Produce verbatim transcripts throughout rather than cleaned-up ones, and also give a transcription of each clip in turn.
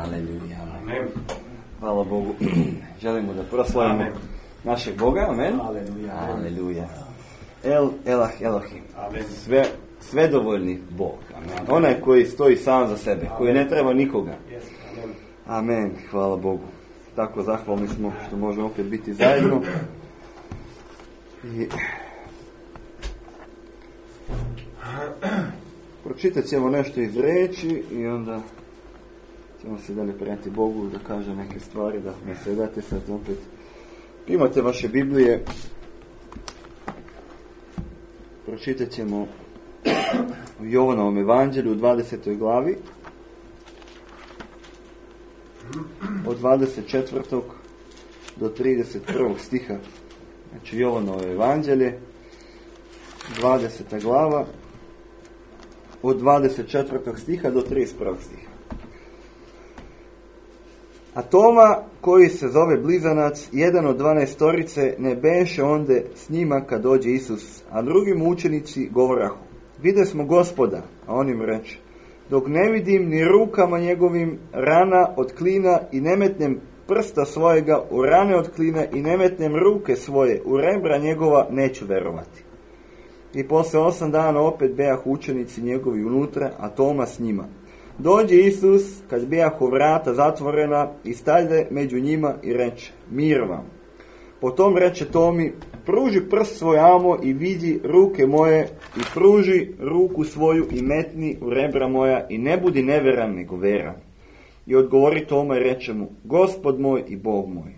Aleluja. Amen. Hvala Bogu. Želimo da proslavimo Amen. Našeg Boga. Amen. Aleluja. Aleluja. El Elah Elohim. Amen. Sve, svedovoljni Bog. Amen. Onaj koji stoji sam za sebe, Amen. Koji ne treba nikoga. Amen. Amen. Hvala Bogu. Tako zahvalni smo što možemo opet biti zajedno. I pročitat ćemo nešto iz riječi i onda ćemo se dalje prenijeti Bogu da kaže neke stvari, da ne sedate sad opet. Imate vaše Biblije, pročitat ćemo u Jovanovom evanđelju u dvadesetoj glavi od dvadeset četvrtog do trideset prvog stiha. Znači Jovanovo evanđelje, dvadeseta glava, od dvadeset četvrtog stiha do trideset prvog stiha. A Toma, koji se zove Blizanac, jedan od dvanaestorice, ne beše onde s njima kad dođe Isus, a drugi mu učenici govorahu: vide smo Gospoda, a on im reče: dok ne vidim ni rukama njegovim rana od klina i ne metnem prsta svojega u rane od klina i ne metnem ruke svoje u rebra njegova, neću verovati. I posle osam dana opet bejah učenici njegovi unutra, a Toma s njima. Dođe Isus, kad bejahu vrata zatvorena, i stajde među njima i reče: mir vam. Potom reče Tomi: pruži prst svoj amo i vidi ruke moje, i pruži ruku svoju i metni u rebra moja, i ne budi neveran nego veran. I odgovori Toma i reče mu: Gospod moj i Bog moj.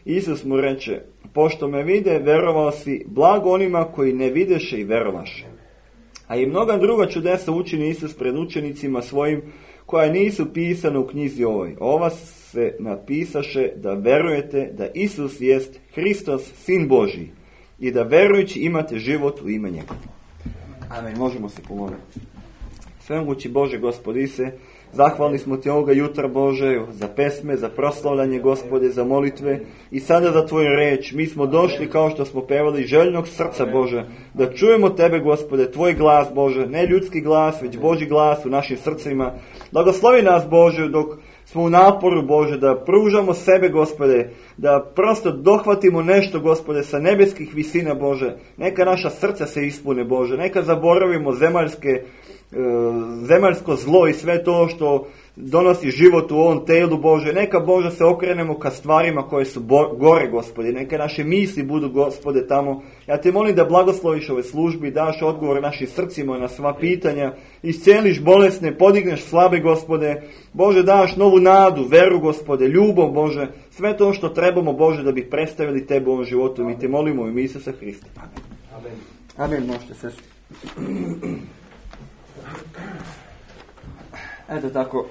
Isus mu reče: pošto me vide, verovao si, blago onima koji ne videše i verovaše. A i mnoga druga čudesa učini Isus pred učenicima svojim, koja nisu pisana u knjizi ovoj. Ova se napisaše da verujete da Isus jest Hristos, Sin Božji, i da verujući imate život u ime njega. Amen. Možemo se pomoliti. Svemogući Bože, Gospodi se, zahvalni smo ti ovoga jutra, Bože, za pesme, za proslavljanje, Gospode, za molitve i sada za tvoju reč. Mi smo došli, kao što smo pevali, željnog srca, Bože, da čujemo tebe, Gospode, tvoj glas, Bože, ne ljudski glas, već Božji glas u našim srcima. Blagoslovi nas, Bože, dok smo u naporu, Bože, da pružamo sebe, Gospode, da prosto dohvatimo nešto, Gospode, sa nebeskih visina, Bože. Neka naša srca se ispune, Bože, neka zaboravimo zemaljske zemaljsko zlo i sve to što donosi život u ovom telu, Bože. Neka, Bože, se okrenemo ka stvarima koje su bo- gore, Gospode. Neka naše misli budu, Gospode, tamo. Ja te molim da blagosloviš ove službi, daš odgovor našim srcima na sva pitanja, isceliš bolesne, podigneš slabe, Gospode. Bože, daš novu nadu, veru, Gospode, ljubav, Bože. Sve to što trebamo, Bože, da bi predstavili tebe u ovom životu. Mi te molimo u ime Isusa Hrista. Amen. Amen. Možete sesti. Eto tako,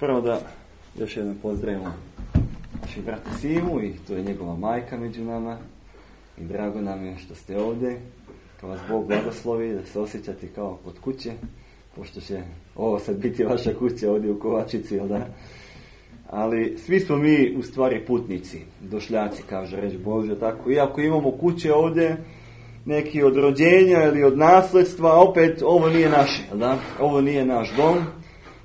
prvo da još jednom pozdravimo našeg brata Simu, i to je njegova majka među nama, i drago nam je što ste ovdje, kao vas Bog blagoslovi, da se osjećate kao kod kuće, pošto će ovo sad biti vaša kuća ovdje u Kovačici, jel da? Ali svi smo mi u stvari putnici, došljaci, kaže reč Božja, tako, iako imamo kuće ovdje, neki od rođenja ili od nasljedstva, opet ovo nije naše, da? Ovo nije naš dom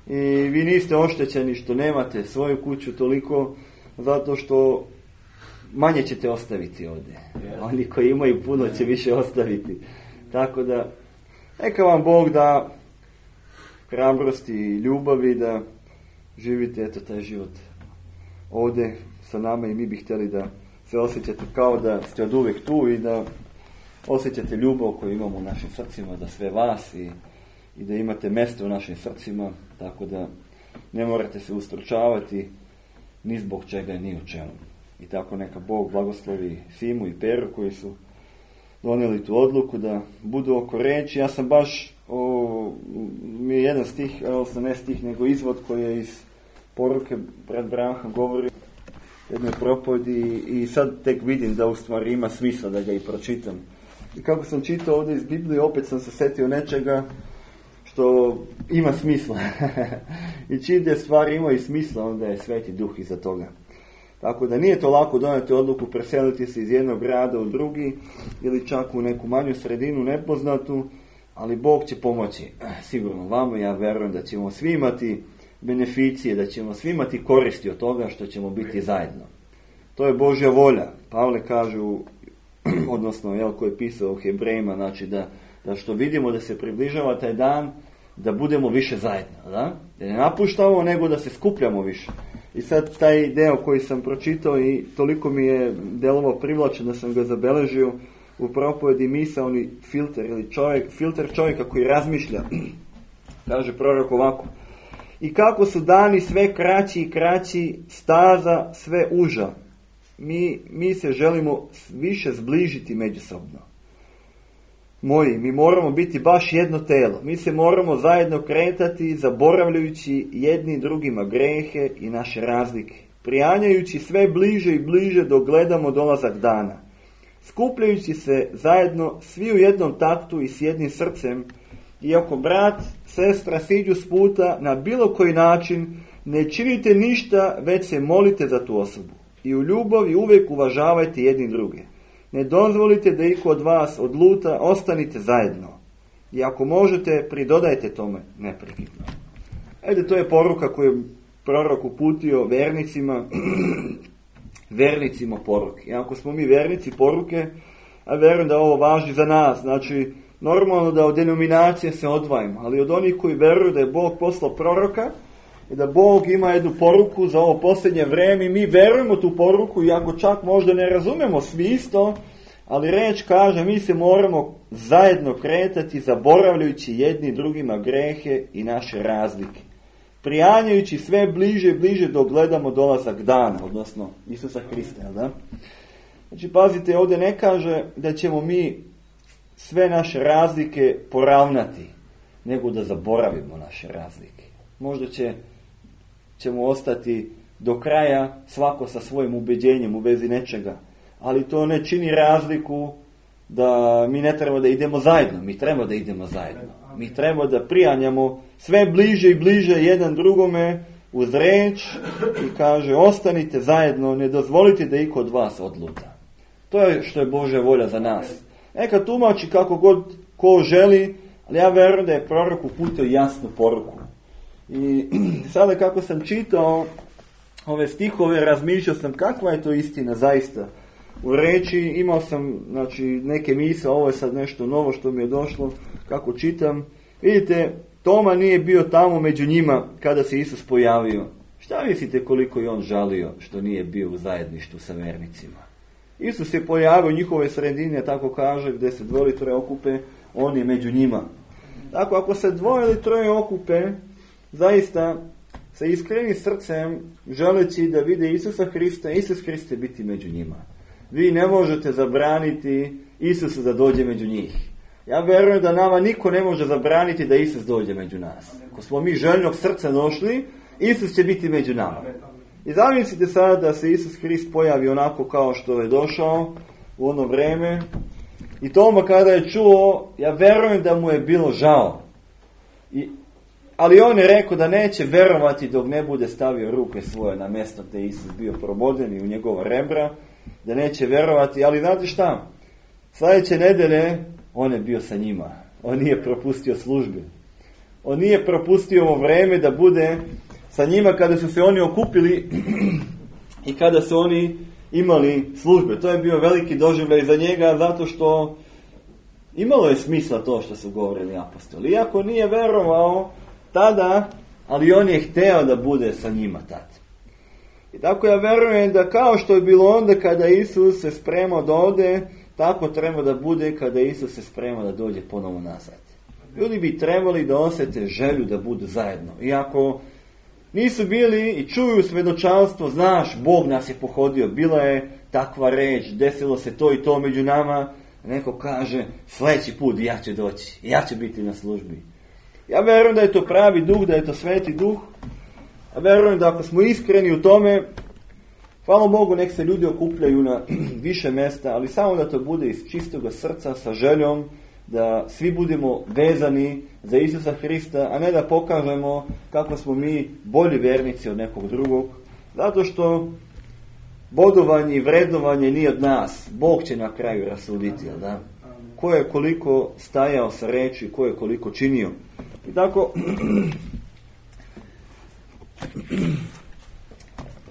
i vi niste oštećeni što nemate svoju kuću toliko, zato što manje ćete ostaviti ovdje. Oni koji imaju puno će više ostaviti. Tako da, neka vam Bog da hrabrosti i ljubavi da živite eto taj život ovdje sa nama, i mi bi htjeli da se osjećate kao da ste od uvijek tu i da osjećate ljubav koju imamo u našim srcima za sve vas, i, i da imate mjesto u našim srcima, tako da ne morate se ustručavati ni zbog čega ni o čemu. I tako neka Bog blagoslovi Simu i Peru koji su donijeli tu odluku da budu oko reči. Ja sam baš, o, mi je jedan stih, odnosno ne stih, nego izvod koji je iz poruke brat Branha govori jednoj propovedi, i sad tek vidim da u stvari ima smisla da ga i pročitam. I kako sam čitao ovdje iz Biblije, opet sam se setio nečega što ima smisla. I čim te stvari imaju smisla, onda je Sveti Duh iza toga. Tako da nije to lako donijeti odluku preseliti se iz jednog grada u drugi, ili čak u neku manju sredinu nepoznatu, ali Bog će pomoći. Sigurno vama, ja vjerujem da ćemo svi imati beneficije, da ćemo svi imati koristi od toga što ćemo biti zajedno. To je Božja volja. Pavle kažu, odnosno jel, ko je pisao o Hebrejima, znači da, da što vidimo da se približava taj dan, da budemo više zajedno. Da, da ne napuštamo, nego da se skupljamo više. I sad taj deo koji sam pročitao i toliko mi je delovao privlačen da sam ga zabeležio u propovedi misaoni filter ili čovjek, filter čovjeka koji razmišlja. Kaže prorok ovako: i kako su dani sve kraći i kraći, staza sve uža. Mi, mi se želimo više zbližiti međusobno. Moji, mi moramo biti baš jedno telo. Mi se moramo zajedno kretati, zaboravljajući jedni drugima grehe i naše razlike. Prijanjajući sve bliže i bliže dok gledamo dolazak dana. Skupljajući se zajedno svi u jednom taktu i s jednim srcem. I ako brat, sestra siđu s puta na bilo koji način, ne činite ništa, već se molite za tu osobu. I u ljubavi uvijek uvažavajte jedni druge. Ne dozvolite da iko od vas odluta, ostanite zajedno. I ako možete, pridodajte tome neprekidno. Ajde, to je poruka koju je prorok uputio vernicima, vernicima poruke. I ako smo mi vernici poruke, a verujem da ovo važi za nas, znači normalno da od denominacije se odvajamo, ali od onih koji veruju da je Bog poslao proroka i da Bog ima jednu poruku za ovo posljednje vrijeme i mi verujemo tu poruku, iako čak možda ne razumemo svi isto, ali reč kaže mi se moramo zajedno kretati zaboravljajući jedni drugima grehe i naše razlike. Prijanjajući sve bliže i bliže dok gledamo dolazak dana, odnosno Isusa Hrista. Da? Znači pazite, ovdje ne kaže da ćemo mi sve naše razlike poravnati, nego da zaboravimo naše razlike. Možda će, ćemo ostati do kraja svako sa svojim ubeđenjem u vezi nečega, ali to ne čini razliku da mi ne treba da idemo zajedno. Mi treba da idemo zajedno. Mi treba da prijanjamo sve bliže i bliže jedan drugome uz reč i kaže ostanite zajedno, ne dozvolite da iko od vas odluta. To je što je Božja volja za nas. Neka tumači kako god ko želi, ali ja verujem da je prorok uputio jasnu poruku. I sada kako sam čitao ove stihove, razmišljao sam kakva je to istina zaista. U reči imao sam znači, neke misle, ovo je sad nešto novo što mi je došlo, kako čitam. Vidite, Toma nije bio tamo među njima kada se Isus pojavio. Šta mislite koliko je on žalio što nije bio u zajedništvu sa vernicima? Isus se pojavio u njihove sredine, tako kaže, gdje se dvoje ili troje okupe, on je među njima. Tako, ako se dvoje ili troje okupe, zaista sa iskrenim srcem, želeći da vide Isusa Hrista, Isus Hriste biti među njima. Vi ne možete zabraniti Isusu da dođe među njih. Ja verujem da nama niko ne može zabraniti da Isus dođe među nas. Ako smo mi željnog srca došli, Isus će biti među nama. I zamislite sad da se Isus Hrist pojavi onako kao što je došao u ono vreme. I Toma kada je čuo, ja verujem da mu je bilo žao. I, ali on je rekao da neće verovati dok ne bude stavio ruke svoje na mjesto gdje je Isus bio proboden i u njegova rebra. Da neće verovati, ali znate šta? Sljedeće nedelje on je bio sa njima. On nije propustio službe. On nije propustio ovo vreme da bude sa njima kada su se oni okupili i kada su oni imali službe. To je bio veliki doživljaj za njega zato što imalo je smisla to što su govorili apostoli. Iako nije verovao tada, ali on je hteo da bude sa njima tad. I tako ja verujem da kao što je bilo onda kada Isus se spremao da ode, tako treba da bude kada Isus se sprema da dođe ponovo nazad. Ljudi bi trebali da osjete želju da budu zajedno. Iako nisu bili i čuju svedočanstvo, znaš, Bog nas je pohodio, bila je takva reč, desilo se to i to među nama, neko kaže, sljedeći put ja ću doći, ja ću biti na službi. Ja verujem da je to pravi duh, da je to sveti duh, a verujem da ako smo iskreni u tome, hvala Bogu, nek se ljudi okupljaju na više mjesta, ali samo da to bude iz čistoga srca sa željom da svi budemo vezani za Isusa Hrista, a ne da pokažemo kako smo mi bolji vernici od nekog drugog, zato što bodovanje i vrednovanje nije od nas. Bog će na kraju rasuditi, jel da? Ko je koliko stajao sa reči, ko je koliko činio. I tako,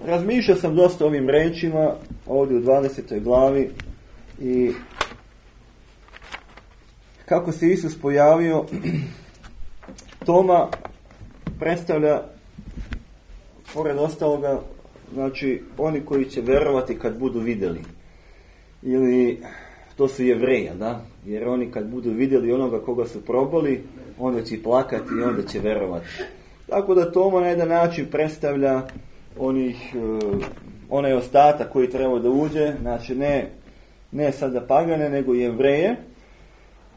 Razmišljao sam dosta ovim rečima ovdje u dvadesetoj glavi i kako se Isus pojavio, Toma predstavlja, pored ostaloga, znači oni koji će vjerovati kad budu vidjeli. Ili to su Jevreji, da? Jer oni kad budu vidjeli onoga koga su probali, onda će plakati i onda će vjerovati. Tako da Toma na jedan način predstavlja onih, onaj ostatak koji treba da uđe, znači ne, ne sada pagane, nego Jevreje.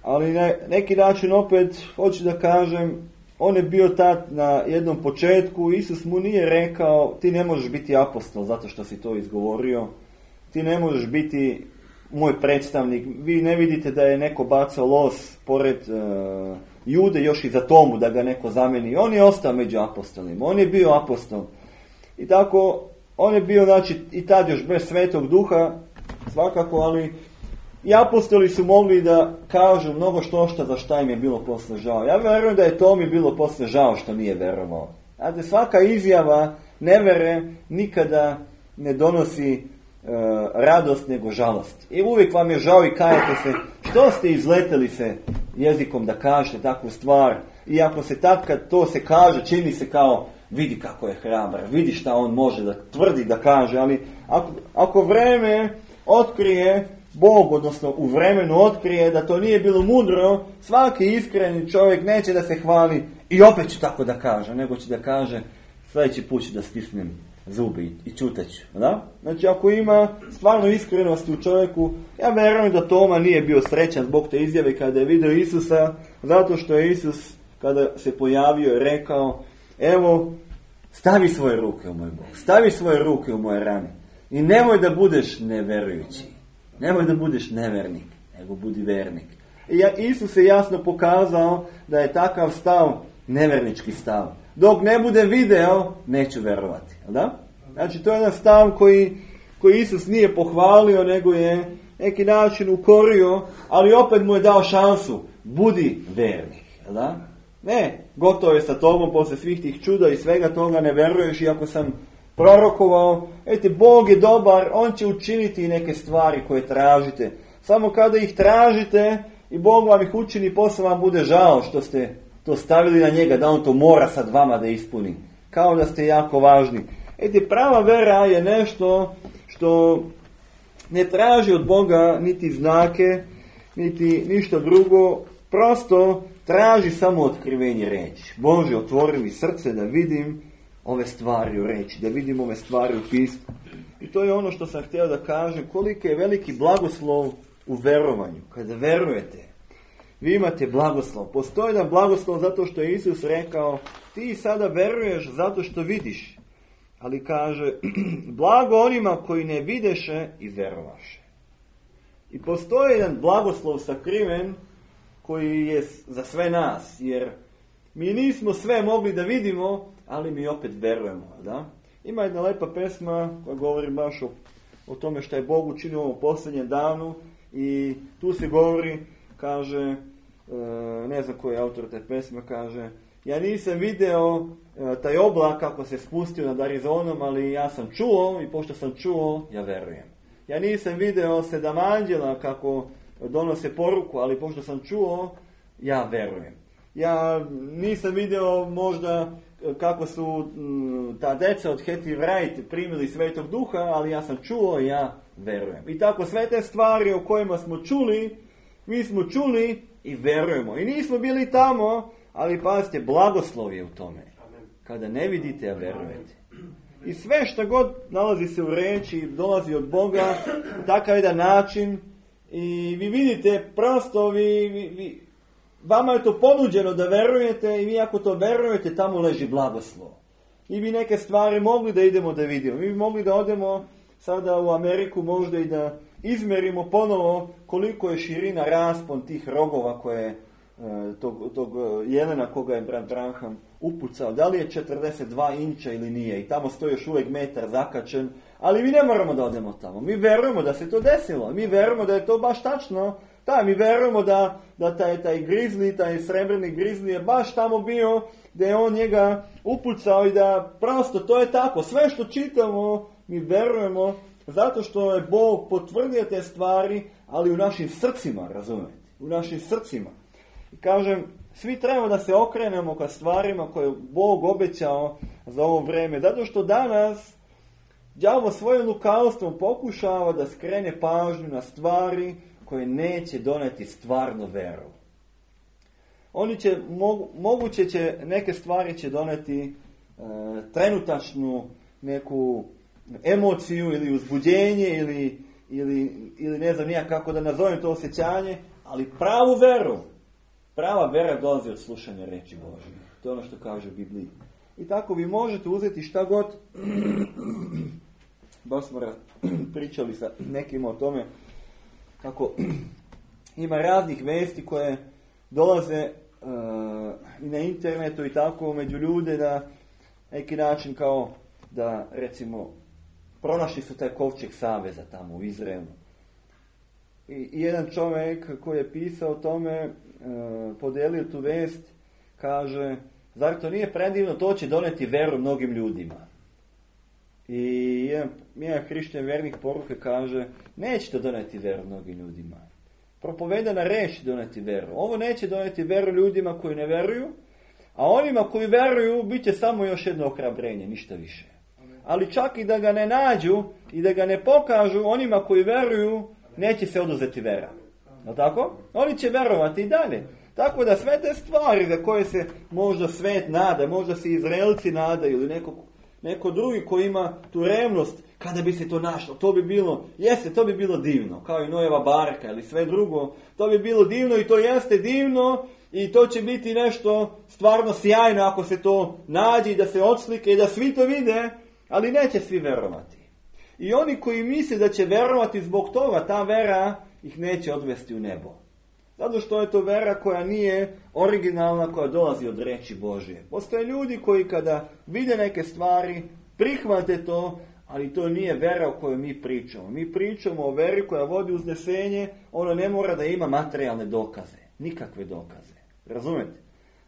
Ali na neki način opet, hoću da kažem, on je bio tad na jednom početku, Isus mu nije rekao, ti ne možeš biti apostol zato što si to izgovorio, ti ne možeš biti moj predstavnik, vi ne vidite da je neko bacao los pored uh, Jude još i za Tomu da ga neko zameni. On je ostao među apostolima, on je bio apostol. I tako, on je bio, znači, i tad još bez Svetog Duha, svakako, ali i apostoli su mogli da kažu mnogo što šta za šta im je bilo posle žao. Ja vjerujem da je Tomi bilo posle žao što nije verovao. Znate, svaka izjava nevere nikada ne donosi e, radost nego žalost. I uvijek vam je žao i kajete se što ste izleteli se jezikom da kažete takvu stvar. I ako se tad kad to se kaže, čini se kao vidi kako je hrabar, vidi šta on može da tvrdi da kaže, ali ako, ako vreme otkrije, Bog, odnosno u vremenu otkrije da to nije bilo mudro, svaki iskreni čovjek neće da se hvali i opet će tako da kaže, nego će da kaže sljedeći put ću da stisnem zubi i čutat ću. Da? Znači ako ima stvarno iskrenosti u čovjeku, ja vjerujem da Toma nije bio srećan zbog te izjave kada je vidio Isusa, zato što je Isus kada se pojavio je rekao, evo stavi svoje ruke u moj Bog, stavi svoje ruke u moje rane i nemoj da budeš neverujući. Nemoj da budeš nevernik, nego budi vernik. I Isus je jasno pokazao da je takav stav nevernički stav. Dok ne bude video, neću verovati. Da? Znači, to je jedan stav koji, koji Isus nije pohvalio, nego je neki način ukorio, ali opet mu je dao šansu. Budi vernik. Da? Ne, gotovo je sa tobom posle svih tih čuda i svega toga, ne veruješ, iako sam prorokovao, eti, Bog je dobar, on će učiniti neke stvari koje tražite. Samo kada ih tražite i Bog vam ih učini, posle vam bude žao što ste to stavili na njega, da on to mora sad vama da ispuni. Kao da ste jako važni. Eti, prava vera je nešto što ne traži od Boga niti znake, niti ništa drugo, prosto traži samo otkrivenje reći. Bože, otvori mi srce da vidim ove stvari u reći, da vidim ove stvari u pismu. I to je ono što sam htio da kažem, koliko je veliki blagoslov u verovanju. Kada verujete, vi imate blagoslov. Postoji jedan blagoslov zato što je Isus rekao, ti sada veruješ zato što vidiš. Ali kaže, blago onima koji ne videše i verovaše. I postoji jedan blagoslov sakriven koji je za sve nas, jer mi nismo sve mogli da vidimo, ali mi opet verujemo. Da? Ima jedna lepa pesma koja govori baš o, o tome što je Bog učinio u ovom posljednjem danu i tu se govori, kaže, e, ne znam koji je autor te pesme, kaže, ja nisam video e, taj oblak kako se spustio nad Arizonom, ali ja sam čuo i pošto sam čuo, ja verujem. Ja nisam video sedam anđela kako donose poruku, ali pošto sam čuo, ja verujem. Ja nisam video možda kako su m, ta deca od Hattie Wright primili Svetog Duha, ali ja sam čuo i ja verujem. I tako sve te stvari o kojima smo čuli, mi smo čuli i verujemo. I nismo bili tamo, ali pazite, blagoslov je u tome. Kada ne vidite, a verujete. I sve što god nalazi se u reči, dolazi od Boga, takav jedan način. I vi vidite, prosto vi, vi, vi, vama je to ponuđeno da verujete i vi ako to verujete, tamo leži blagoslov. I bi neke stvari mogli da idemo da vidimo. Mi bi mogli da odemo sada u Ameriku možda i da izmerimo ponovo koliko je širina, raspon tih rogova koje tog, tog jelena koga je brat Branham upucao. Da li je četrdeset dva inča ili nije. I tamo stoji još uvijek metar zakačen. Ali mi ne moramo da odemo tamo. Mi verujemo da se to desilo. Mi verujemo da je to baš tačno Da, mi vjerujemo da, da taj, taj grizli, taj srebrni grizli je baš tamo bio, da je on njega upucao i da prosto to je tako. Sve što čitamo, mi vjerujemo zato što je Bog potvrdio te stvari, ali u našim srcima, razumijete? U našim srcima. I kažem, svi trebamo da se okrenemo ka stvarima koje je Bog obećao za ovo vrijeme. Zato što danas đavo svojim lukavstvom pokušava da skrene pažnju na stvari koje neće doneti stvarno veru. Oni će, mogu, moguće će, neke stvari će doneti e, trenutačnu neku emociju ili uzbuđenje ili, ili, ili ne znam nija kako da nazovem to osjećanje, ali pravu veru, prava vera dolazi od slušanja reči Božje. To je ono što kaže u Bibliji. I tako vi možete uzeti šta god, baš smo pričali sa nekim o tome, kako ima raznih vesti koje dolaze uh, i na internetu i tako među ljude na neki način kao da recimo pronašli su taj kovčeg saveza tamo u Izraelu. I, i jedan čovjek koji je pisao o tome, uh, podelio tu vest, kaže, zar to nije predivno, to će doneti veru mnogim ljudima. I jedan, jedan hrišćan vernik poruke kaže, neće to doneti veru mnogim ljudima. Propovedana reč doneti veru. Ovo neće doneti veru ljudima koji ne veruju, a onima koji veruju bit će samo još jedno ohrabrenje, ništa više. Ali čak i da ga ne nađu i da ga ne pokažu, onima koji veruju neće se oduzeti vera. Je tako? Oni će verovati i dalje. Tako da sve te stvari za koje se možda svet nada, možda se Izraelci nadaju ili neko, neko drugi koji ima tu revnost, kada bi se to našlo, to bi bilo, jeste, to bi bilo divno, kao i Nojeva barka ili sve drugo, to bi bilo divno i to jeste divno i to će biti nešto stvarno sjajno ako se to nađe i da se odslike i da svi to vide, ali neće svi verovati. I oni koji misle da će verovati zbog toga, ta vera ih neće odvesti u nebo. Zato što je to vera koja nije originalna, koja dolazi od reči Božje. Postoje ljudi koji kada vide neke stvari, prihvate to, ali to nije vera o kojoj mi pričamo. Mi pričamo o veri koja vodi uznesenje, ono ne mora da ima materijalne dokaze. Nikakve dokaze. Razumete?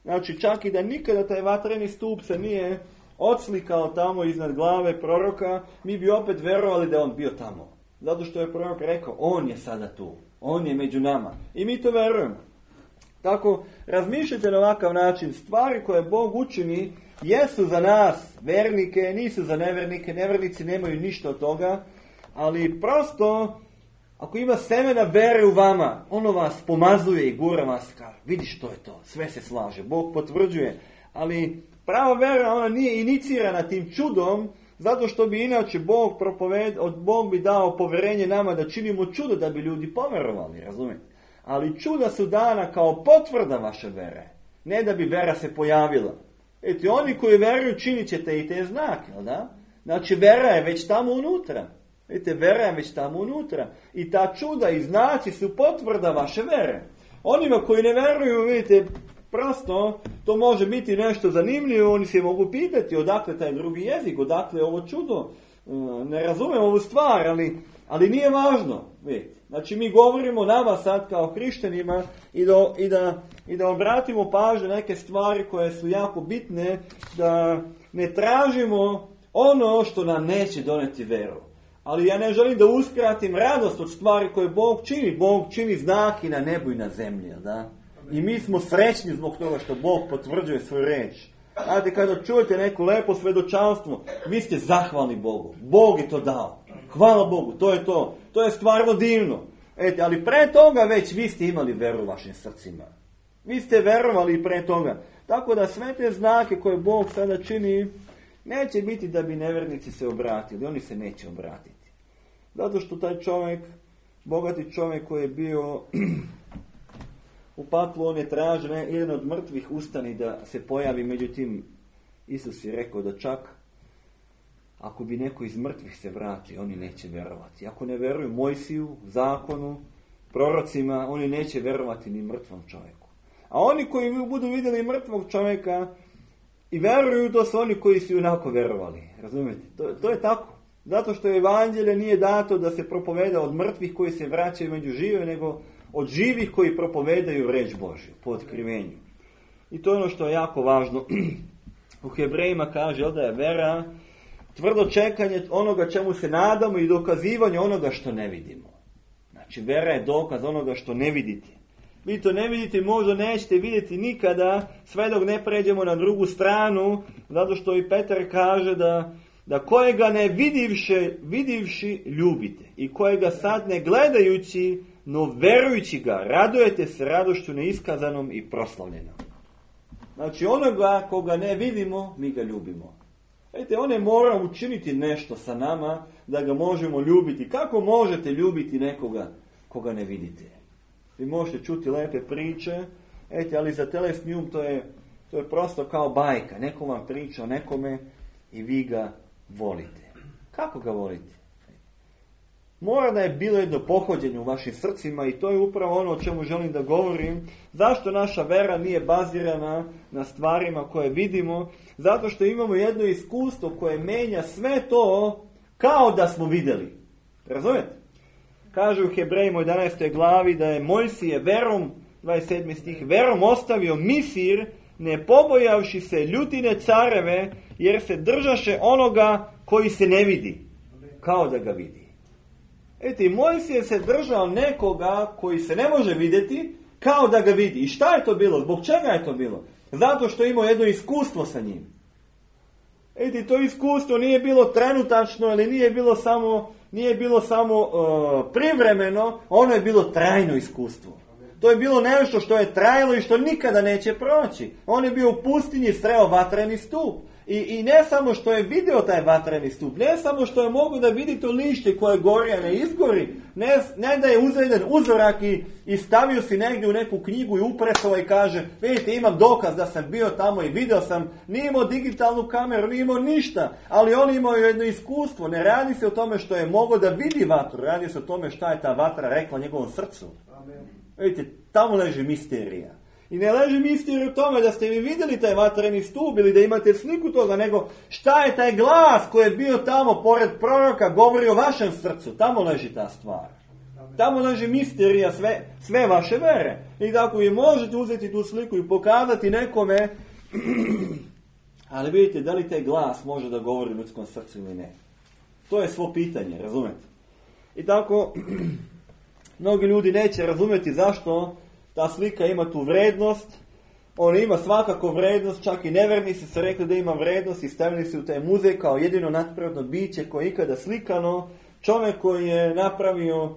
Znači čak i da nikada taj vatreni stup se nije odslikao tamo iznad glave proroka, mi bi opet verovali da je on bio tamo. Zato što je prorok rekao, on je sada tu. On je među nama. I mi to verujemo. Tako, razmišljajte na ovakav način. Stvari koje Bog učini jesu za nas, vernike, nisu za nevernike. Nevernici nemaju ništa od toga. Ali prosto, ako ima semena vere u vama, ono vas pomazuje i gura vas. Vidi što je to. Sve se slaže. Bog potvrđuje. Ali prava vera, ona nije inicirana tim čudom, zato što bi inače Bog propoved, od Bog bi dao poverenje nama da činimo čudo da bi ljudi poverovali, razumijete? Ali čuda su dana kao potvrda vaše vere, ne da bi vera se pojavila. Eti, oni koji veruju činit ćete i te znake, da? Znači vera je već tamo unutra. Vidite, vera je već tamo unutra. I ta čuda i znaci su potvrda vaše vere. Onima koji ne veruju, vidite, prosto, to može biti nešto zanimljivo, oni se mogu pitati odakle taj drugi jezik, odakle ovo čudo. Ne razumem ovu stvar, ali, ali nije važno. Vidite. Znači mi govorimo nama sad kao hrišćanima i da, i da, i da obratimo pažnju neke stvari koje su jako bitne, da ne tražimo ono što nam neće doneti veru. Ali ja ne želim da uskratim radost od stvari koje Bog čini. Bog čini znaki na nebu i na zemlji, da? I mi smo srećni zbog toga što Bog potvrđuje svoju reč. Znate, kada čujete neko lepo svedočanstvo, vi ste zahvalni Bogu. Bog je to dao. Hvala Bogu, to je to. To je stvarno divno. Ete, ali pre toga već vi ste imali veru u vašim srcima. Vi ste verovali i pre toga. Tako da sve te znake koje Bog sada čini, neće biti da bi nevernici se obratili. Oni se neće obratiti. Zato što taj čovjek, bogati čovjek koji je bio u paklu, on je tražen, jedan od mrtvih ustani da se pojavi, međutim Isus je rekao da čak ako bi neko iz mrtvih se vrati, oni neće verovati. Ako ne veruju Mojsiju, zakonu, prorocima, oni neće verovati ni mrtvom čovjeku. A oni koji budu vidjeli mrtvog čovjeka i veruju, to su oni koji su onako verovali. Razumijete? To, to je tako. Zato što evanđelje nije dato da se propoveda od mrtvih koji se vraćaju među žive, nego od živih koji propovedaju reč Božju po otkrivenju. I to je ono što je jako važno. U Hebrejima kaže da je vera tvrdo čekanje onoga čemu se nadamo i dokazivanje onoga što ne vidimo. Znači, vera je dokaz onoga što ne vidite. Vi to ne vidite, možda nećete vidjeti nikada, sve dok ne pređemo na drugu stranu, zato što i Petar kaže da, da kojega ne vidivši, vidivši ljubite i kojega sad ne gledajući, no verujući ga, radujete se radošću neiskazanom i proslavljenom. Znači, onoga koga ne vidimo, mi ga ljubimo. Vidite, on ne mora učiniti nešto sa nama da ga možemo ljubiti. Kako možete ljubiti nekoga koga ne vidite? Vi možete čuti lepe priče, ete, ali za telesni um to je, to je prosto kao bajka. Neko vam priča o nekome i vi ga volite. Kako ga volite? Mora da je bilo jedno pohođenje u vašim srcima i to je upravo ono o čemu želim da govorim. Zašto naša vera nije bazirana na stvarima koje vidimo? Zato što imamo jedno iskustvo koje menja sve to kao da smo vidjeli. Razumijete? Kaže u Hebrejima u jedanaestoj glavi da je Mojsije verom, dvadeset sedmi stih, verom ostavio Misir, ne pobojavši se ljutine careve, jer se držaše onoga koji se ne vidi, kao da ga vidi. Eti, Mojsije se držao nekoga koji se ne može vidjeti, kao da ga vidi. I šta je to bilo? Zbog čega je to bilo? Zato što imao jedno iskustvo sa njim. Eti, to iskustvo nije bilo trenutačno ili nije bilo samo, nije bilo samo uh, privremeno, ono je bilo trajno iskustvo. To je bilo nešto što je trajalo i što nikada neće proći. On je bio u pustinji, sreo vatreni stup. I, I ne samo što je vidio taj vatreni stup, ne samo što je mogu da vidi to lišće koje gori, a ne izgori, ne, ne da je uzeo jedan uzorak i, i stavio si negdje u neku knjigu i upresao i kaže, vidite, imam dokaz da sam bio tamo i vidio sam, nije imao digitalnu kameru, nije imao ništa, ali on imao jedno iskustvo. Ne radi se o tome što je mogao da vidi vatru, radi se o tome šta je ta vatra rekla njegovom srcu. Amen. Vidite, tamo leži misterija. I ne leži misterij u tome da ste vi vidjeli taj vatreni stup ili da imate sliku toga, nego šta je taj glas koji je bio tamo pored proroka, govori o vašem srcu. Tamo leži ta stvar. Tamo leži misterija sve, sve vaše vere. I tako vi možete uzeti tu sliku i pokazati nekome, ali vidite, da li taj glas može da govori u ljudskom srcu ili ne. To je svo pitanje, razumete? I tako, mnogi ljudi neće razumjeti zašto ta slika ima tu vrednost. Ona ima svakako vrednost, čak i nevernici su rekli da ima vrednost i stavili se u taj muzej kao jedino nadprirodno biće koje je ikada slikano. Čovjek koji je napravio uh,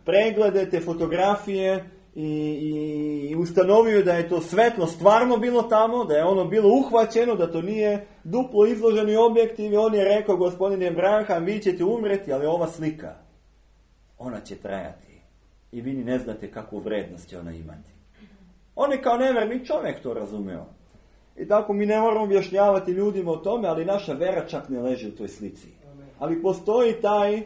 preglede, te fotografije i, i, i ustanovio da je to svetlo stvarno bilo tamo, da je ono bilo uhvaćeno, da to nije duplo izloženi objektiv i on je rekao, gospodine Abraham, vi ćete umreti, ali ova slika, ona će trajati. I vi ni ne znate kakvu vrednost će ona imati. On je kao neverni čovjek to razumio. I tako mi ne moramo objašnjavati ljudima o tome, ali naša vera čak ne leži u toj slici. Ali postoji taj,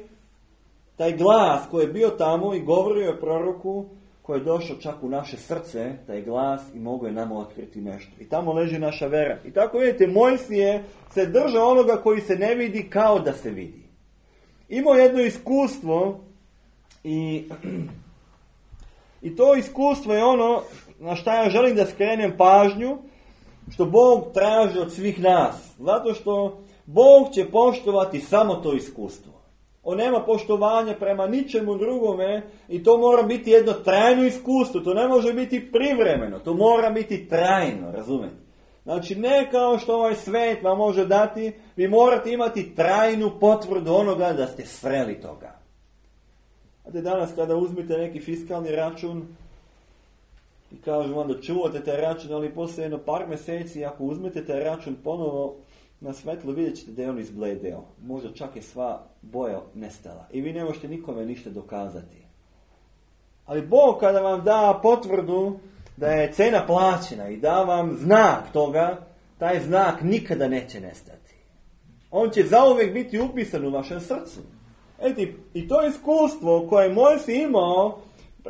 taj glas koji je bio tamo i govorio je proroku, koji je došao čak u naše srce, taj glas, i mogo je nama otkriti nešto. I tamo leži naša vera. I tako vidite, Mojsije se držao onoga koji se ne vidi kao da se vidi. Imao jedno iskustvo i... I to iskustvo je ono na šta ja želim da skrenem pažnju, što Bog traži od svih nas. Zato što Bog će poštovati samo to iskustvo. On nema poštovanja prema ničemu drugome i to mora biti jedno trajno iskustvo. To ne može biti privremeno, to mora biti trajno, razumijete? Znači ne kao što ovaj svet vam može dati, vi morate imati trajnu potvrdu onoga da ste sreli toga. Znate, danas kada uzmete neki fiskalni račun i kažu vam da čuvate taj račun, ali poslije jedno par mjeseci, ako uzmete taj račun ponovo na svetlo, vidjet ćete da je on izbledeo. Možda čak je sva boja nestala. I vi ne možete nikome ništa dokazati. Ali Bog kada vam da potvrdu da je cena plaćena i da vam znak toga, taj znak nikada neće nestati. On će zauvijek biti upisan u vašem srcu. Eti, i to iskustvo koje Mojsije imao,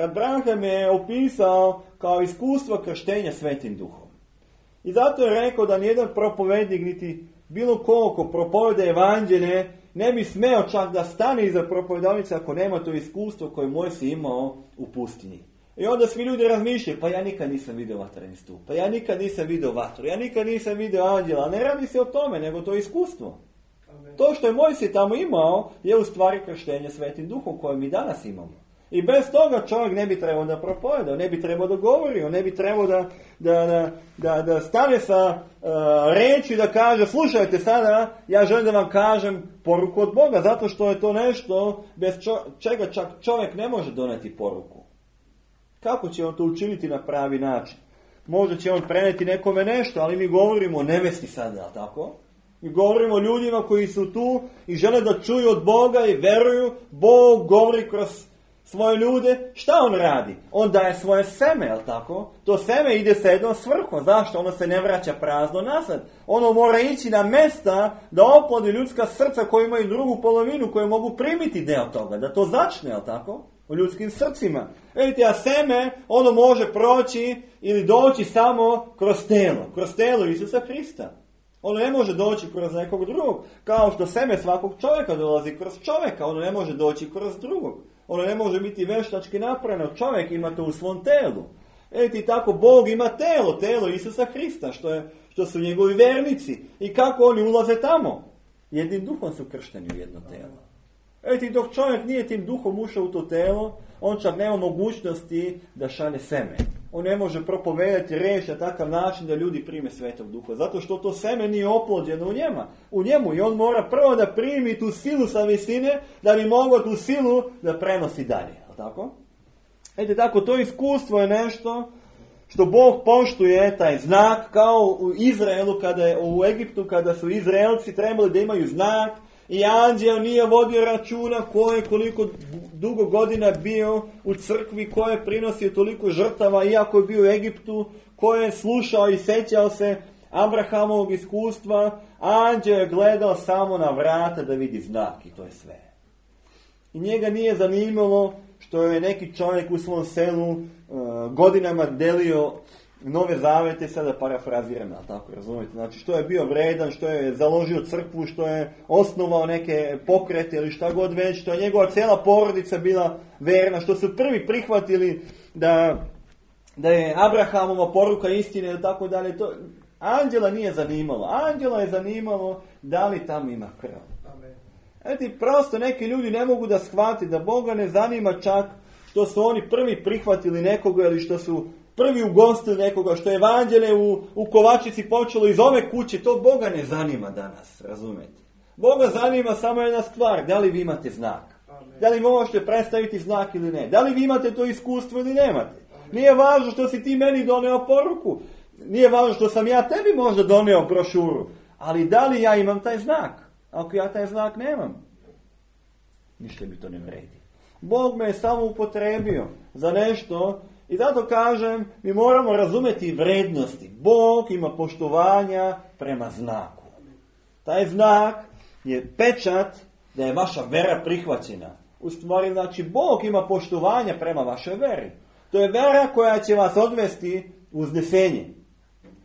Abraham je opisao kao iskustvo krštenja Svetim Duhom. I zato je rekao da nijedan propovednik niti bilo ko ko propoveda evanđelje ne bi smeo čak da stane iza propovedavnice ako nema to iskustvo koje Mojsije imao u pustinji. I onda svi ljudi razmišljaju, pa ja nikad nisam vidio vatreni stup, pa ja nikad nisam vidio vatru, ja nikad nisam vidio anđela. Ne radi se o tome, nego to je iskustvo. Amen. To što je Mojsije tamo imao je u stvari krštenje Svetim Duhom koje mi danas imamo. I bez toga čovjek ne bi trebao da propoveda, ne bi trebao da govori, ne bi trebao da, da, da, da, da stane sa uh, reči da kaže, slušajte sada, ja želim da vam kažem poruku od Boga, zato što je to nešto bez čo, čega čak čovjek ne može doneti poruku. Kako će on to učiniti na pravi način? Možda će on preneti nekome nešto, ali mi govorimo o nevesti sada, tako? Mi govorimo o ljudima koji su tu i žele da čuju od Boga i veruju. Bog govori kroz svoje ljude. Šta on radi? On daje svoje seme, jel tako? To seme ide sa jednom svrhom. Zašto? Ono se ne vraća prazno nazad. Ono mora ići na mesta da oplodi ljudska srca koji imaju drugu polovinu, koje mogu primiti deo toga. Da to začne, jel tako? U ljudskim srcima. Vidite, a seme, ono može proći ili doći samo kroz telo. Kroz telo Isusa Hrista. Ono ne može doći kroz nekog drugog. Kao što seme svakog čovjeka dolazi kroz čovjeka. Ono ne može doći kroz drugog. Ono ne može biti veštački napravljeno. Čovjek ima to u svom telu. Vidite, tako Bog ima telo. Telo Isusa Hrista. Što, je, što su njegovi vernici. I kako oni ulaze tamo? Jednim duhom su kršteni u jedno telo. Vidite, dok čovjek nije tim duhom ušao u to telo, on čak nema mogućnosti da šalje seme. On ne može propovedati reč na takav način da ljudi prime Svetog Duha. Zato što to seme nije oplođeno u njema, u njemu. I on mora prvo da primi tu silu sa visine, da bi mogao tu silu da prenosi dalje. Tako? Vidite, tako, to iskustvo je nešto što Bog poštuje, taj znak, kao u Izraelu, kada je, u Egiptu, kada su Izraelci trebali da imaju znak, i anđeo nije vodio računa ko je koliko dugo godina bio u crkvi, ko je prinosio toliko žrtava iako je bio u Egiptu, ko je slušao i sećao se Abrahamovog iskustva. Anđeo je gledao samo na vrata da vidi znak i to je sve. I njega nije zanimalo što je neki čovjek u svom selu uh, godinama delio Nove zavete, sada parafraziram, tako razumijete, znači što je bio vredan, što je založio crkvu, što je osnovao neke pokrete ili šta god već, što je njegova cijela porodica bila verna, što su prvi prihvatili da, da je Abrahamova poruka istine i tako dalje. To anđela nije zanimalo. Anđela je zanimalo da li tamo ima krv. Eto, prosto neki ljudi ne mogu da shvati da Boga ne zanima čak što su oni prvi prihvatili nekoga ili što su prvi ugostili nekoga, što je evanđelje u, u Kovačici počelo iz ove kuće. To Boga ne zanima danas, razumijete. Boga zanima samo jedna stvar, da li vi imate znak. Amen. Da li možete predstaviti znak ili ne. Da li vi imate to iskustvo ili nemate. Amen. Nije važno što si ti meni doneo poruku. Nije važno što sam ja tebi možda doneo brošuru. Ali da li ja imam taj znak? Ako ja taj znak nemam, ništa mi to ne vredi. Bog me je samo upotrebio za nešto. I zato kažem, mi moramo razumjeti vrednosti. Bog ima poštovanja prema znaku. Taj znak je pečat da je vaša vera prihvaćena. U stvari, znači, Bog ima poštovanja prema vašoj veri. To je vera koja će vas odvesti u uznesenje.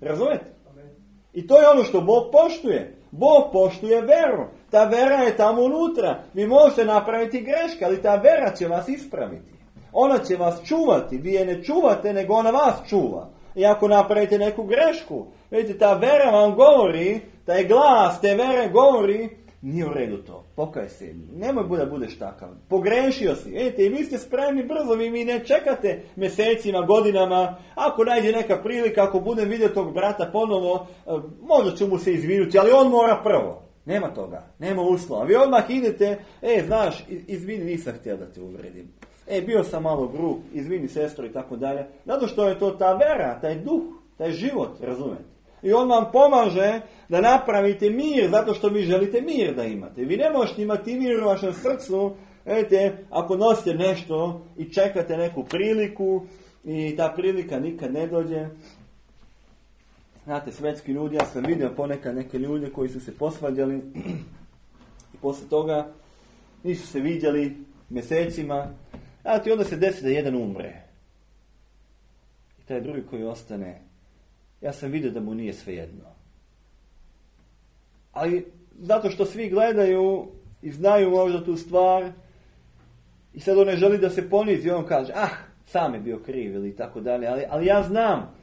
Razumijete? I to je ono što Bog poštuje. Bog poštuje veru. Ta vera je tamo unutra. Vi možete napraviti greške, ali ta vera će vas ispraviti. Ona će vas čuvati. Vi je ne čuvate, nego ona vas čuva. I ako napravite neku grešku, vidite, ta vera vam govori, taj glas te vere govori, nije u redu to, pokaj se, nemoj da budeš takav, pogrešio si. Vidite, i vi ste spremni brzo, vi mi ne čekate mjesecima, godinama. Ako nađe neka prilika, ako budem vidio tog brata ponovo, možda ću mu se izvinuti, ali on mora prvo. Nema toga, nema uslova. Vi odmah idete, e, znaš, izvini, nisam htio da te uvredim. E, bio sam malo grub, izvini sestro i tako dalje. Zato što je to ta vera, taj duh, taj život, razumete. I on vam pomaže da napravite mir, zato što vi želite mir da imate. Vi ne možete imati mir u vašem srcu, vidite, ako nosite nešto i čekate neku priliku i ta prilika nikad ne dođe. Znate, svetski ljudi, ja sam vidio ponekad neke ljude koji su se posvađali i poslije toga nisu se viđali mjesecima. Znate, onda se desi da jedan umre. I taj drugi koji ostane, ja sam vidio da mu nije svejedno. Ali zato što svi gledaju i znaju možda tu stvar i sad on ne želi da se ponizi, on kaže, ah, sam je bio kriv ili tako dalje, ali, ali ja znam,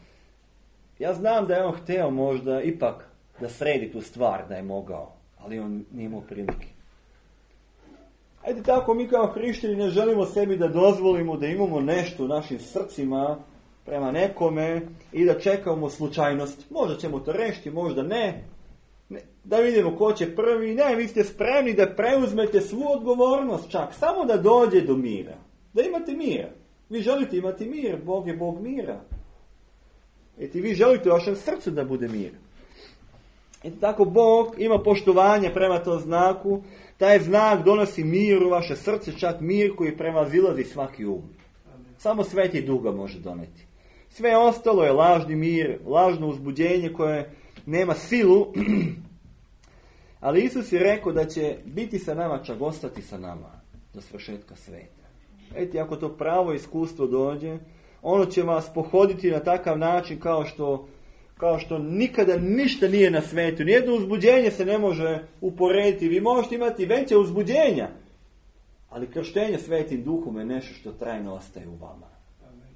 ja znam da je on hteo možda ipak da sredi tu stvar, da je mogao, ali on nije imao prilike. Ajde tako, mi kao hrišćani ne želimo sebi da dozvolimo da imamo nešto u našim srcima prema nekome i da čekamo slučajnost. Možda ćemo to rešiti, možda ne. ne. Da vidimo ko će prvi. Ne, vi ste spremni da preuzmete svu odgovornost čak, samo da dođe do mira. Da imate mira. Vi želite imati mir, Bog je Bog mira. I vi želite u vašem srcu da bude mir. I tako Bog ima poštovanje prema tom znaku. Taj znak donosi mir u vaše srce, čak mir koji prevazilazi svaki um. Samo Sveti Duh ga može doneti. Sve ostalo je lažni mir, lažno uzbuđenje koje nema silu. Ali Isus je rekao da će biti sa nama, čak ostati sa nama do svršetka sveta. Eti, ako to pravo iskustvo dođe, ono će vas pohoditi na takav način kao što kao što nikada ništa nije na svetu. Nijedno uzbuđenje se ne može uporediti. Vi možete imati veće uzbuđenja, ali krštenje Svetim Duhom je nešto što trajno ostaje u vama. Amen.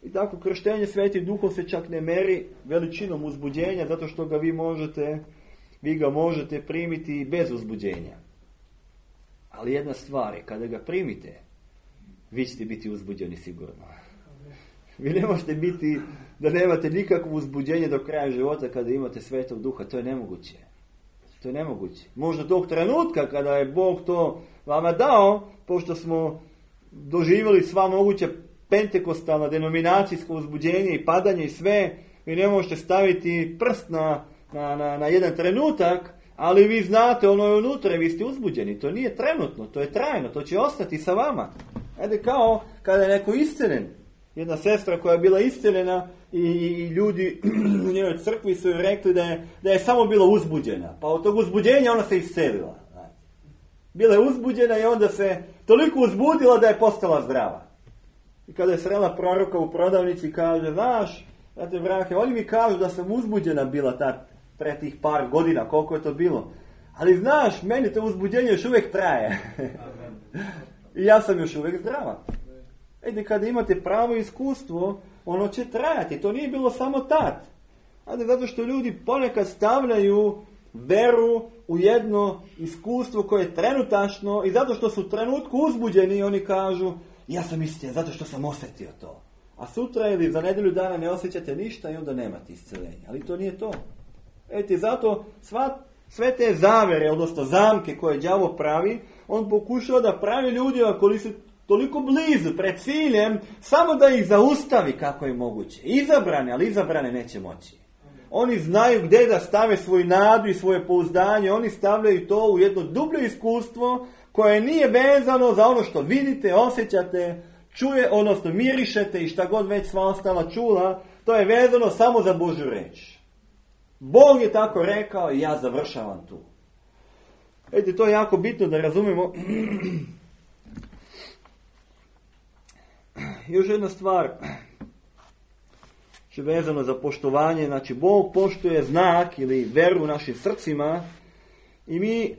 I tako krštenje Svetim Duhom se čak ne meri veličinom uzbuđenja, zato što ga vi možete, vi ga možete primiti bez uzbuđenja. Ali jedna stvar je, kada ga primite, vi ćete biti uzbuđeni sigurno. Vi ne možete biti da nemate nikakvo uzbuđenje do kraja života kada imate Svetog Duha. To je nemoguće. To je nemoguće. Možda tog trenutka kada je Bog to vama dao, pošto smo doživjeli sva moguća pentekostalna denominacijsko uzbuđenje i padanje i sve, vi ne možete staviti prst na, na, na, na jedan trenutak, ali vi znate ono je unutra i vi ste uzbuđeni. To nije trenutno, to je trajno, to će ostati sa vama. Ajde, kao kada je neko iscelen. Jedna sestra koja je bila isceljena i, i ljudi u njenoj crkvi su joj rekli da je, da je samo bila uzbuđena. Pa od tog uzbuđenja ona se iscelila. Bila je uzbuđena i onda se toliko uzbudila da je postala zdrava. I kada je srela proroka u prodavnici, kaže, znaš, znate vrake, oni mi kažu da sam uzbuđena bila tad, pre tih par godina, koliko je to bilo. Ali znaš, meni to uzbuđenje još uvijek traje. I ja sam još uvijek zdrava. Ede, kada imate pravo iskustvo, ono će trajati. To nije bilo samo tad. Ade, zato što ljudi ponekad stavljaju veru u jedno iskustvo koje je trenutačno i zato što su u trenutku uzbuđeni, oni kažu, ja sam istina, zato što sam osjetio to. A sutra ili za nedelju dana ne osjećate ništa i onda nemate isceljenja. Ali to nije to. Ete, zato sva, sve te zavere, odnosno zamke koje đavo pravi, on pokušao da pravi ljudima koji su toliko blizu, pred ciljem, samo da ih zaustavi kako je moguće. Izabrane, ali izabrane neće moći. Oni znaju gdje da stave svoju nadu i svoje pouzdanje, oni stavljaju to u jedno dublje iskustvo koje nije vezano za ono što vidite, osjećate, čuje, odnosno mirišete i šta god već sva ostala čula, to je vezano samo za Božju reč. Bog je tako rekao i ja završavam tu. Vidite, to je jako bitno da razumemo. Još jedna stvar, što je vezano za poštovanje, znači Bog poštuje znak ili veru u našim srcima i mi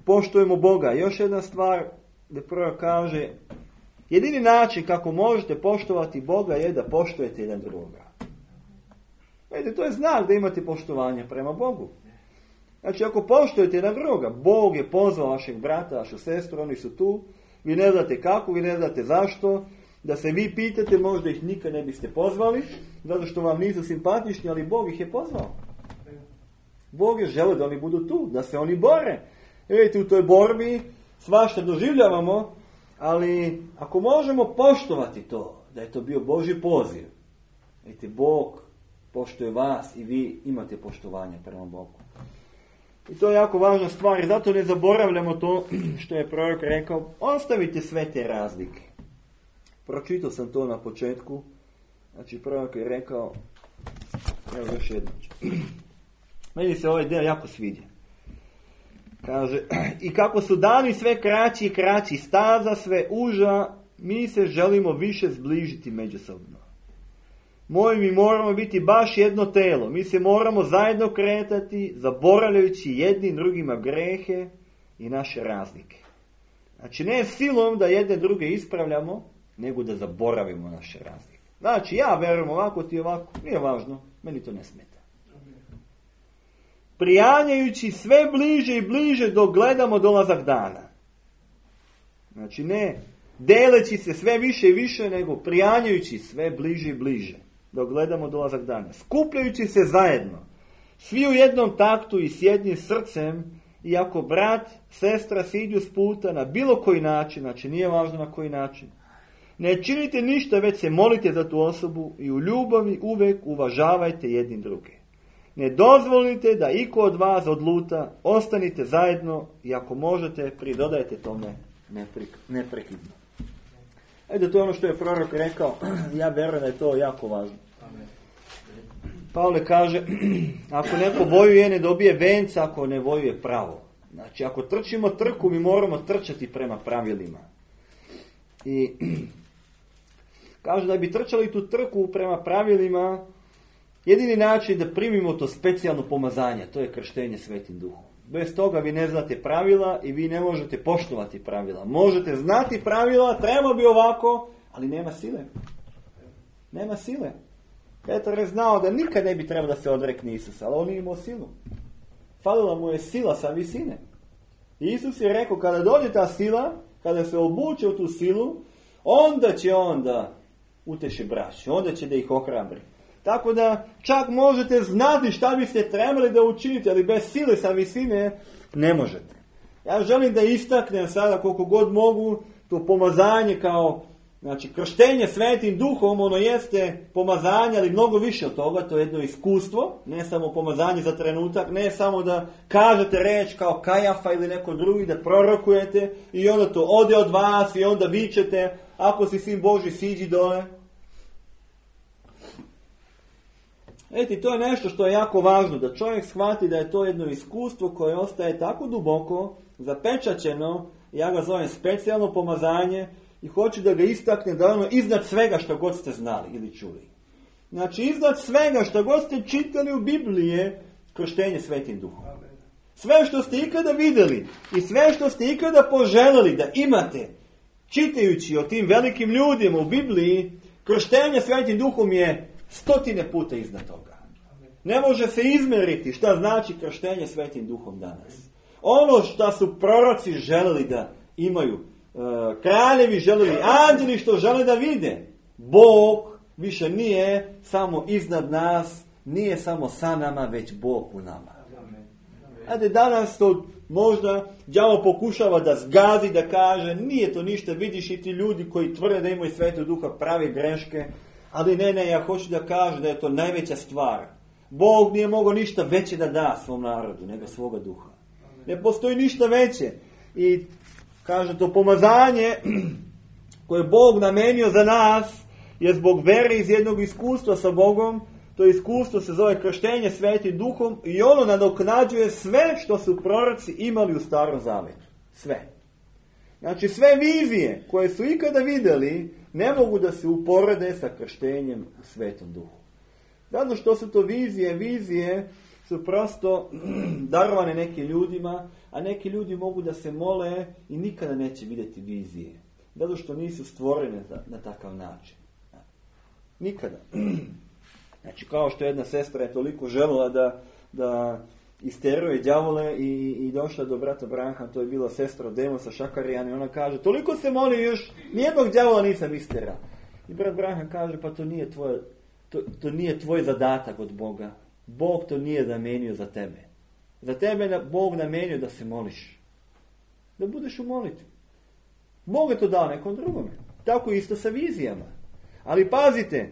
poštujemo Boga. Još jedna stvar, da prvo kaže, jedini način kako možete poštovati Boga je da poštujete jedan drugoga. Vidite, to je znak da imate poštovanje prema Bogu. Znači, ako poštujete jedan drugoga, Bog je pozvao vašeg brata, vašu sestru, oni su tu, vi ne znate kako, vi ne znate zašto, da se vi pitate, možda ih nikad ne biste pozvali, zato što vam nisu simpatični, ali Bog ih je pozvao. Bog je želeo da oni budu tu, da se oni bore. Vidite, u toj borbi svašta doživljavamo, ali ako možemo poštovati to, da je to bio Božji poziv, vidite, Bog poštuje vas i vi imate poštovanje prema Bogu. I to je jako važna stvar i zato ne zaboravljamo to što je prorok rekao, ostavite sve te razlike. Pročitao sam to na početku, znači prorok je rekao, evo još jedno. Meni se ovaj del jako sviđa. Kaže, i kako su dani sve kraći i kraći, staza sve uža, mi se želimo više zbližiti međusobno. moji, mi moramo biti baš jedno telo. Mi se moramo zajedno kretati, zaboravljajući jednim drugima grehe i naše razlike. Znači, ne silom da jedne druge ispravljamo, nego da zaboravimo naše razlike. Znači, ja verujem ovako, ti ovako, nije važno, meni to ne smeta. Prijanjajući sve bliže i bliže dok gledamo dolazak dana. Znači, ne deleći se sve više i više, nego prijanjajući sve bliže i bliže dok gledamo dolazak dana. Skupljajući se zajedno, svi u jednom taktu i s jednim srcem, i ako brat, sestra siđu s puta na bilo koji način, znači nije važno na koji način, ne činite ništa, već se molite za tu osobu i u ljubavi uvijek uvažavajte jedni druge. Ne dozvolite da iko od vas odluta, ostanite zajedno i ako možete, pridodajte tome neprekidno. Ajde, to je ono što je prorok rekao, ja vjerujem da je to jako važno. Pavle kaže, ako neko vojuje, ne dobije venca ako ne vojuje pravo. Znači, ako trčimo trku, mi moramo trčati prema pravilima. I kaže da bi trčali tu trku prema pravilima, jedini način da primimo to specijalno pomazanje, to je krštenje Svetim Duhom. Bez toga vi ne znate pravila i vi ne možete poštovati pravila. Možete znati pravila, treba bi ovako, ali nema sile. Nema sile. Petar je znao da nikad ne bi trebao da se odrekne Isusa, ali on nije imao silu. Falila mu je sila sa visine. I Isus je rekao, kada dođe ta sila, kada se obuče u tu silu, onda će on da uteši braću, onda će da ih ohrabri. Tako da čak možete znati šta biste trebali da učinite, ali bez sile sa visine ne možete. Ja želim da istaknem sada koliko god mogu to pomazanje kao, znači, krštenje Svetim Duhom, ono jeste pomazanje, ali mnogo više od toga, to je jedno iskustvo, ne samo pomazanje za trenutak, ne samo da kažete reč kao Kajafa ili neko drugi, da prorokujete i onda to ode od vas i onda vičete, ako si sin Božji, siđi dole. Eti, to je nešto što je jako važno, da čovjek shvati da je to jedno iskustvo koje ostaje tako duboko, zapečaćeno, ja ga zovem specijalno pomazanje, i hoću da ga istaknem da je ono iznad svega što god ste znali ili čuli. Znači, iznad svega što god ste čitali u Bibliji je krštenje Svetim Duhom. Sve što ste ikada vidjeli i sve što ste ikada poželjeli da imate, čitajući o tim velikim ljudima u Bibliji, krštenje Svetim Duhom je stotine puta iznad toga. Ne može se izmeriti šta znači krštenje Svetim Duhom danas. Ono što su proroci želeli da imaju, kraljevi želeli, anđeli što žele da vide, Bog više nije samo iznad nas, nije samo sa nama, već Bog u nama. Ajde, danas to možda đavo pokušava da zgazi, da kaže, nije to ništa, vidiš i ti ljudi koji tvrde da imaju Svetog Duha pravi greške, ali ne, ne, ja hoću da kažem da je to najveća stvar. Bog nije mogao ništa veće da da svom narodu, nego svoga duha. Ne postoji ništa veće. I kaže, to pomazanje koje Bog namenio za nas je zbog vere iz jednog iskustva sa Bogom. To iskustvo se zove krštenje Svetim Duhom i ono nadoknađuje sve što su proroci imali u Starom Zavetu. Sve. Znači, sve vizije koje su ikada vidjeli ne mogu da se uporede sa krštenjem u Svetom Duhu. Zato što su to vizije, vizije su prosto darovane nekim ljudima, a neki ljudi mogu da se mole i nikada neće vidjeti vizije. Zato što nisu stvorene na, na takav način. Nikada. Znači, kao što jedna sestra je toliko željela da, da isteruje đavole i, i došla do brata Branha, to je bila sestra od Demosa Šakarijan, i ona kaže, toliko se moli još, nijednog đavola nisam isterao. I brat Branha kaže, pa to nije tvoj, to, to nije tvoj zadatak od Boga. Bog to nije namenio za tebe. Za tebe je Bog namenio da se moliš. Da budeš u molitvi. Bog je to dao nekom drugome. Tako isto sa vizijama. Ali pazite,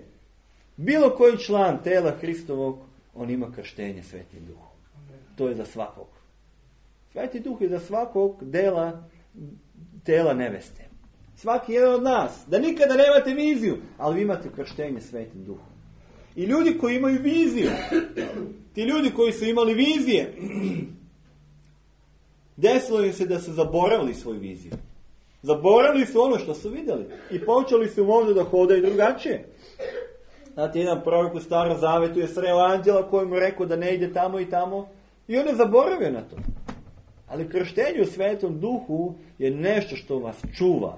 bilo koji član tela Hristovog, on ima krštenje Svetim Duhom. To je za svakog. Sveti Duh je za svakog dela tela neveste. Svaki jedan od nas. Da nikada nemate viziju, ali vi imate krštenje Svetim Duhom. I ljudi koji imaju viziju, ti ljudi koji su imali vizije, desilo im se da su zaboravili svoju viziju. Zaboravili su ono što su vidjeli i počeli su možda da hodaju drugačije. Znate, jedan prorok u Starom Zavetu je sreo anđela koji mu rekao da ne ide tamo i tamo i on je zaboravio na to. Ali krštenje u Svetom Duhu je nešto što vas čuva.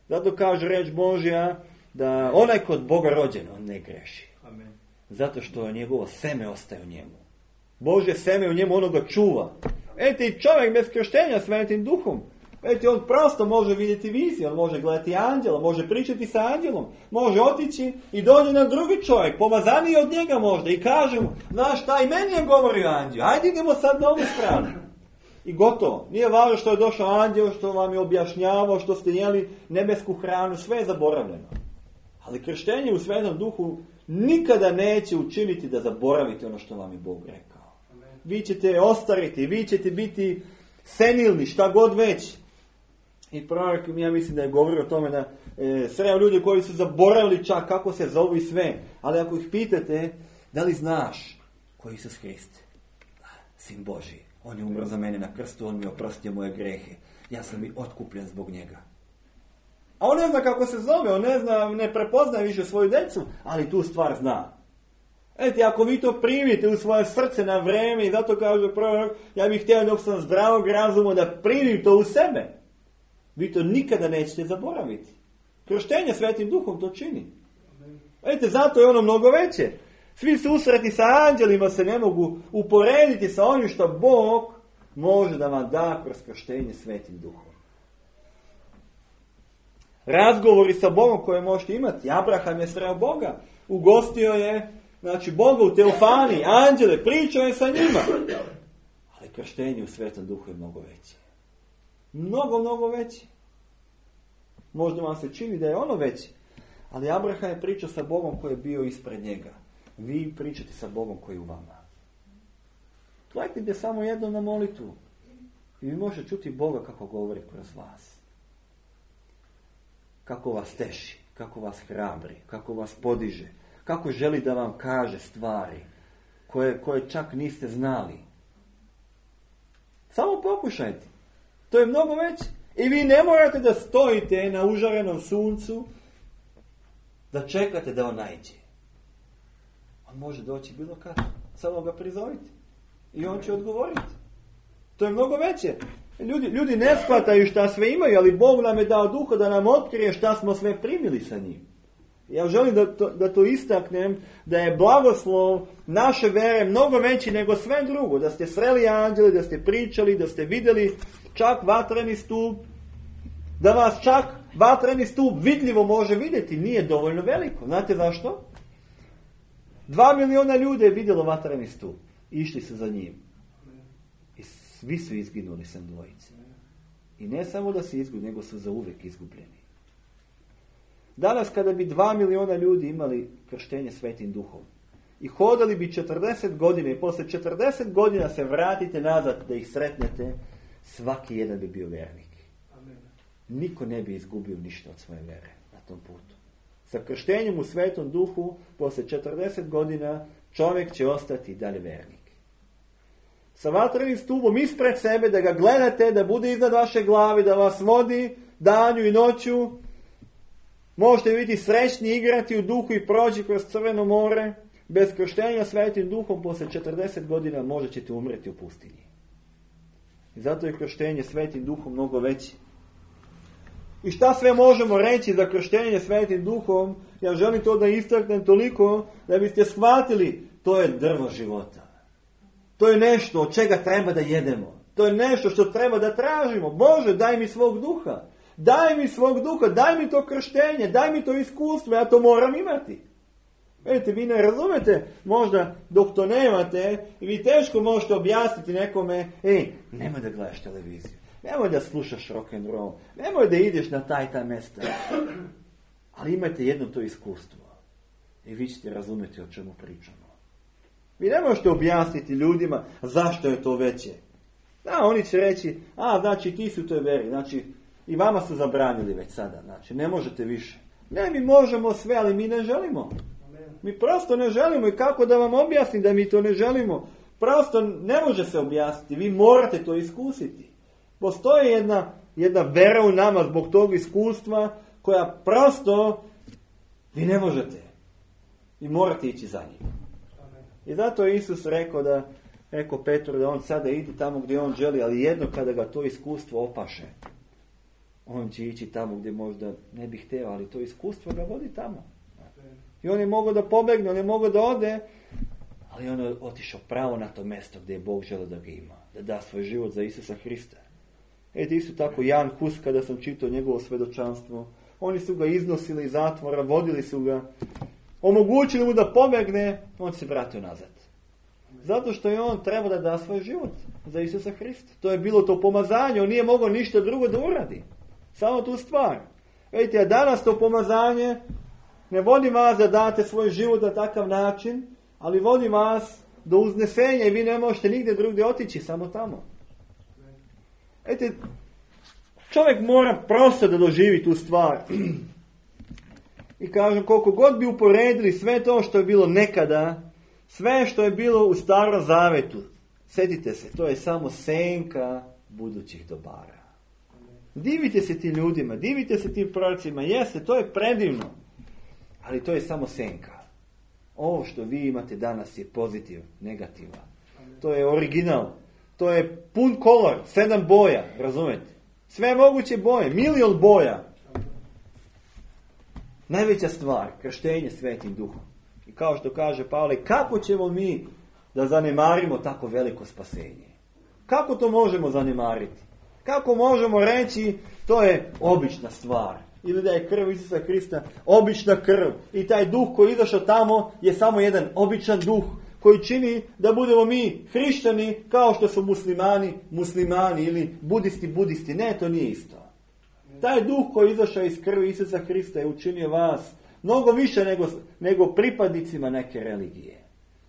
Zato kaže reč Božja da onaj kod Boga rođen, on ne greši. Amen. Zato što njegovo seme ostaje u njemu. Božje seme u njemu, ono ga čuva. Ete, i čovjek bez krštenja Svetim Duhom, ete, on prosto može vidjeti viziju, on može gledati anđela, može pričati sa anđelom, može otići i dođe na drugi čovjek, pomazaniji od njega možda, i kaže mu, znaš šta, i meni je govorio anđel, ajde idemo sad na ovu stranu. I gotovo. Nije važno što je došao anđel, što vam je objašnjavao, što ste jeli nebesku hranu, sve je zaboravljeno. Ali krštenje u Svetom Duhu nikada neće učiniti da zaboravite ono što vam je Bog rekao. Amen. Vi ćete ostariti, vi ćete biti senilni, šta god već. I prorok, ja mislim da je govorio o tome da e, sreo ljudi koji su zaboravili čak kako se zovu i sve. Ali ako ih pitate, da li znaš ko je Isus Hrist? Sin Božji. On je umro za mene na krstu, on mi je oprostio moje grehe. Ja sam i otkupljen zbog njega. A on ne zna kako se zove, on ne zna, ne prepoznaje više svoju djecu, ali tu stvar zna. Eti, ako vi to primite u svoje srce na vreme, i zato kaže prorok, ja bih htio dok sam zdravog razuma da primim to u sebe. Vi to nikada nećete zaboraviti. Krštenje Svetim Duhom to čini. Eti, zato je ono mnogo veće. Svi susreti sa anđelima se ne mogu uporediti sa onim što Bog može da vam da kroz krštenje Svetim Duhom. Razgovori sa Bogom koje možete imati. Abraham je sreo Boga. Ugostio je, znači, Boga u teofaniji, anđele, pričao je sa njima. Ali krštenje u Svetom Duhu je mnogo veće. Mnogo, mnogo veće. Možda vam se čini da je ono veće. Ali Abraham je pričao sa Bogom koji je bio ispred njega. Vi pričate sa Bogom koji je u vama. Gledajte samo jedno na molitvu. I vi možete čuti Boga kako govori kroz vas. Kako vas teši, kako vas hrabri, kako vas podiže, kako želi da vam kaže stvari koje, koje čak niste znali. Samo pokušajte. To je mnogo veće. I vi ne morate da stojite na užarenom suncu da čekate da on naiđe. On može doći bilo kad. Samo ga prizovite. I on će odgovoriti. To je mnogo veće. Ljudi, ljudi ne shvataju šta sve imaju, ali Bog nam je dao duha da nam otkrije šta smo sve primili sa njim. Ja želim da to, da to istaknem, da je blagoslov naše vere mnogo veći nego sve drugo. Da ste sreli anđele, da ste pričali, da ste vidjeli čak vatreni stup, da vas čak vatreni stup vidljivo može vidjeti, nije dovoljno veliko. Znate zašto? Dva miliona ljudi je vidjelo vatreni stup. Išli su za njim. I svi su izginuli sem dvojice. I ne samo da su izgubljeni, nego su zauvijek izgubljeni. Danas kada bi dva miliona ljudi imali krštenje Svetim Duhom i hodali bi četrdeset godina i posle četrdeset godina se vratite nazad da ih sretnete, svaki jedan bi bio vjernik. Amen. Niko ne bi izgubio ništa od svoje vere na tom putu. Sa krštenjem u Svetom Duhu posle četrdeset godina čovjek će ostati dalje vjernik. Sa vatrenim stupom ispred sebe, da ga gledate, da bude iznad vaše glave, da vas vodi danju i noću. Možete biti srećni, igrati u duhu i proći kroz Crveno more. Bez krštenja Svetim Duhom posle četrdeset godina možda ćete umreti u pustinji. I zato je krštenje Svetim Duhom mnogo veće. I šta sve možemo reći za krštenje Svetim Duhom? Ja želim to da istaknem toliko da biste shvatili, to je drvo života. To je nešto od čega treba da jedemo. To je nešto što treba da tražimo. Bože, daj mi svog duha. Daj mi svog duha, daj mi to krštenje, daj mi to iskustvo, ja to moram imati. Vidite, vi ne razumete, možda dok to nemate, vi teško možete objasniti nekome, ej, nemoj da gledaš televiziju, nemoj da slušaš rock and roll, nemoj da ideš na taj taj mesta. Ali imajte jedno to iskustvo i vi ćete razumjeti o čemu pričamo. Vi ne možete objasniti ljudima zašto je to veće. Da, oni će reći, a, znači ti su u toj veri, znači i vama su zabranili već sada, znači ne možete više. Ne, mi možemo sve, ali mi ne želimo. Mi prosto ne želimo i kako da vam objasnim da mi to ne želimo. Prosto ne može se objasniti, vi morate to iskusiti. Postoji jedna, jedna vera u nama zbog tog iskustva koja prosto vi ne možete. I morate ići za njim. I zato je Isus rekao da, rekao Petru da on sada ide tamo gdje on želi, ali jedno kada ga to iskustvo opaše, on će ići tamo gdje možda ne bi htio, ali to iskustvo ga vodi tamo. I on je mogao da pobegne, on je mogao da ode, ali on je otišao pravo na to mjesto gdje je Bog želeo da ga ima, da da svoj život za Isusa Hrista. Eto isto tako Jan Hus, kada sam čitao njegovo svjedočanstvo, oni su ga iznosili iz zatvora, vodili su ga, omogućili mu da pobegne, on se vratio nazad. Zato što je on trebao da da svoj život za Isusa Hrista. To je bilo to pomazanje, on nije mogao ništa drugo da uradi. Samo tu stvar. Vidite, a danas to pomazanje ne vodi vas da date svoj život na takav način, ali vodi vas do uznesenja i vi ne možete nigdje drugdje otići, samo tamo. Vidite, čovjek mora prosto da doživi tu stvar. I kažem, koliko god bi uporedili sve to što je bilo nekada, sve što je bilo u Starom Zavetu, sjetite se, to je samo senka budućih dobara. Divite se tim ljudima, divite se tim prorocima, jeste, to je predivno, ali to je samo senka. Ovo što vi imate danas je pozitiv, negativa. To je original, to je pun kolor, sedam boja, razumete? Sve moguće boje, milion boja. Najveća stvar, krštenje Svetim Duhom. I kao što kaže Pavle, kako ćemo mi da zanemarimo tako veliko spasenje? Kako to možemo zanemariti? Kako možemo reći, to je obična stvar? Ili da je krv Isusa Hrista obična krv. I taj duh koji je izašao tamo je samo jedan običan duh koji čini da budemo mi hrišćani kao što su muslimani, muslimani ili budisti, budisti. Ne, to nije isto. Taj duh koji je izašao iz krvi Isusa Hrista je učinio vas mnogo više nego, nego pripadnicima neke religije.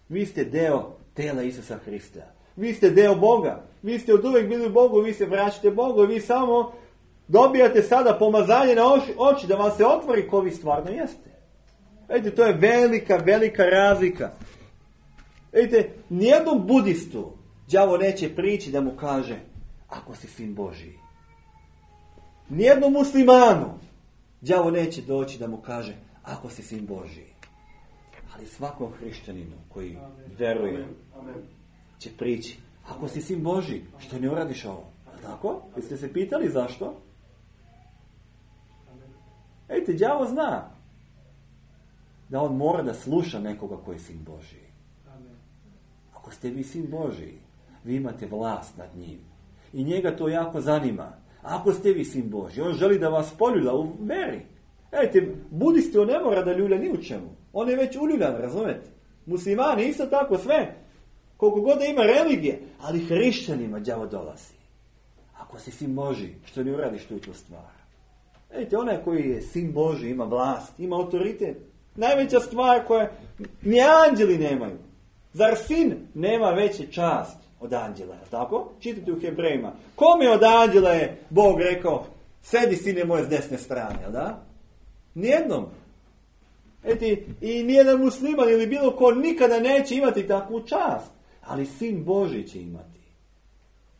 Vi ste deo tela Isusa Hrista. Vi ste deo Boga. Vi ste od uvijek bili u Bogu, vi se vraćate Bogu i vi samo dobijate sada pomazanje na oči, oči da vam se otvori ko vi stvarno jeste. Vidite, to je velika, velika razlika. Vidite, nijednom budistu đavo neće prići da mu kaže ako si sin Božiji. Nijednom muslimanu đavo neće doći da mu kaže ako si sin Božiji. Ali svakom hrišćaninu koji veruje će prići ako si sin Božiji, što ne uradiš ovo? Tako? Jeste se pitali zašto? Ejte, đavo zna da on mora da sluša nekoga koji je sin Božiji. Ako ste vi sin Božiji, vi imate vlast nad njim. I njega to jako zanima. Ako ste vi sin Božji, on želi da vas poljulja u veri. Ejte, budisti, on ne mora da ljulja ni u čemu. On je već uljuljan, razumete? Muslimani isto tako, sve. Koliko god da ima religije, ali hrišćanima đavo dolazi. Ako si sin Božji, što ne uradiš tu tu stvar? Ejte, onaj koji je sin Božji ima vlast, ima autoritet. Najveća stvar koja ni anđeli nemaju. Zar sin nema veće čast od anđela, tako? Čitajte u Hebrejima. Kome od anđela je Bog rekao, sedi sine moje s desne strane, jel da? Nijednom. Eti, i nijedan musliman ili bilo ko nikada neće imati takvu čast. Ali sin Božji će imati.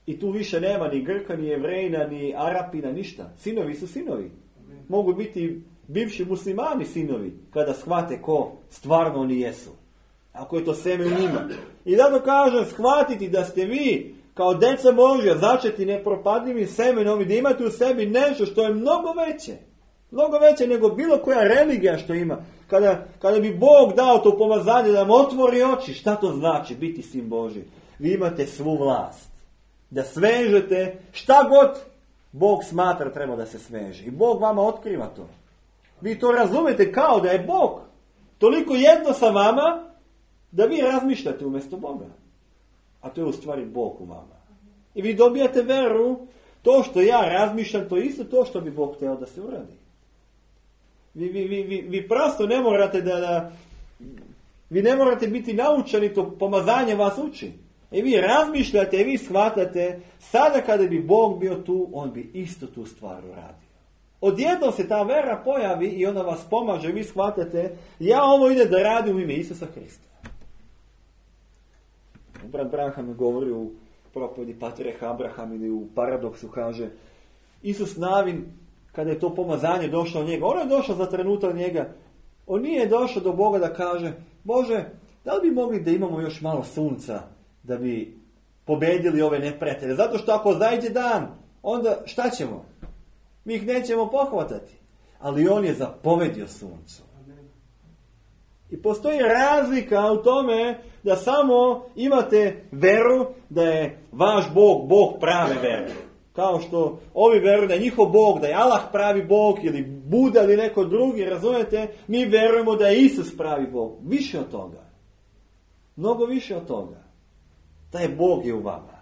I tu više nema ni Grka, ni Jevrejina, ni Arapina, ništa. Sinovi su sinovi. Mogu biti bivši muslimani sinovi, kada shvate ko stvarno oni jesu. Ako je to seme u njima. I zato kažem, shvatiti da ste vi, kao deca Božja, začeti nepropadljivim semenom i da imate u sebi nešto što je mnogo veće. Mnogo veće nego bilo koja religija što ima. Kada, kada bi Bog dao to pomazanje da vam otvori oči, šta to znači biti sin Božji? Vi imate svu vlast. Da svežete šta god Bog smatra treba da se sveže. I Bog vama otkriva to. Vi to razumete kao da je Bog toliko jedno sa vama da vi razmišljate umjesto Boga. A to je u stvari Bog u vama. I vi dobijate veru, to što ja razmišljam, to je isto to što bi Bog htio da se uradi. Vi, vi, vi, vi, vi prosto ne morate da, da vi ne morate biti naučeni, to pomazanje vas uči. I vi razmišljate, i vi shvatate, sada kada bi Bog bio tu, on bi isto tu stvar uradio. Odjednom se ta vera pojavi i ona vas pomaže, vi shvatate, ja ovo ide da radim u ime Isusa Hrista. Brat Branham govori u propovedi Patriarha Abraham ili u paradoksu, kaže, Isus Navin, kada je to pomazanje došlo od njega, ono je došlo za trenutak njega, On nije došao do Boga da kaže, Bože, da li bi mogli da imamo još malo sunca da bi pobedili ove neprijatelje? Zato što ako zajde dan, onda šta ćemo? Mi ih nećemo pohvatati. Ali on je zapovedio suncu. I postoji razlika u tome da samo imate veru da je vaš Bog, Bog prave vere. Kao što ovi veruju da je njihov Bog, da je Allah pravi Bog ili Buda ili neko drugi, razumijete? Mi verujemo da je Isus pravi Bog. Više od toga. Mnogo više od toga. Taj Bog je u vama.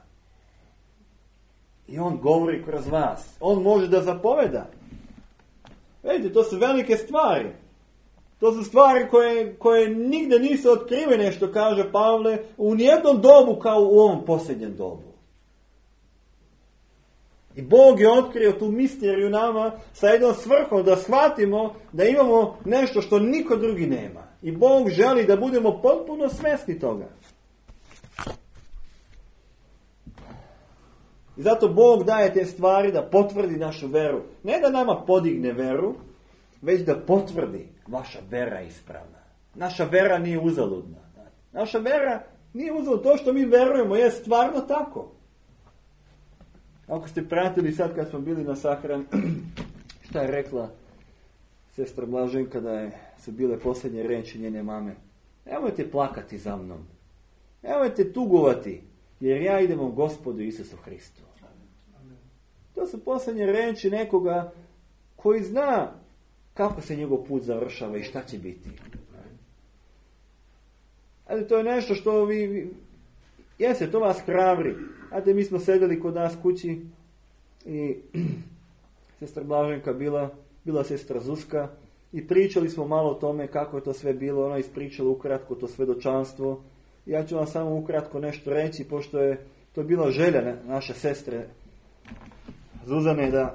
I on govori kroz vas. On može da zapoveda. Vidite, to su velike stvari. To su stvari koje, koje nigde nisu otkrive, nešto kaže Pavle, u nijednom dobu kao u ovom posljednjem dobu. I Bog je otkrio tu misteriju nama sa jednom svrhom da shvatimo da imamo nešto što niko drugi nema. I Bog želi da budemo potpuno svjesni toga. I zato Bog daje te stvari da potvrdi našu veru. Ne da nama podigne veru, već da potvrdi vaša vera je ispravna. Naša vera nije uzaludna. Naša vera nije uzaludna. To što mi verujemo je stvarno tako. Ako ste pratili sad kad smo bili na sahrani, šta je rekla sestra Blaženka da je, su bile posljednje reči njene mame. Nemojte plakati za mnom. Nemojte tugovati, jer ja idem u Gospodu Isusu Hristu. To su posljednje reči nekoga koji zna kako se njegov put završava i šta će biti. Ali to je nešto što vi, vi jeste, to vas hrabri. Znate, mi smo sedeli kod nas kući i sestra Blaženka bila, bila sestra Zuzka i pričali smo malo o tome kako je to sve bilo. Ona ispričala ukratko to svedočanstvo. Ja ću vam samo ukratko nešto reći, pošto je to bila želja naše sestre Zuzane da,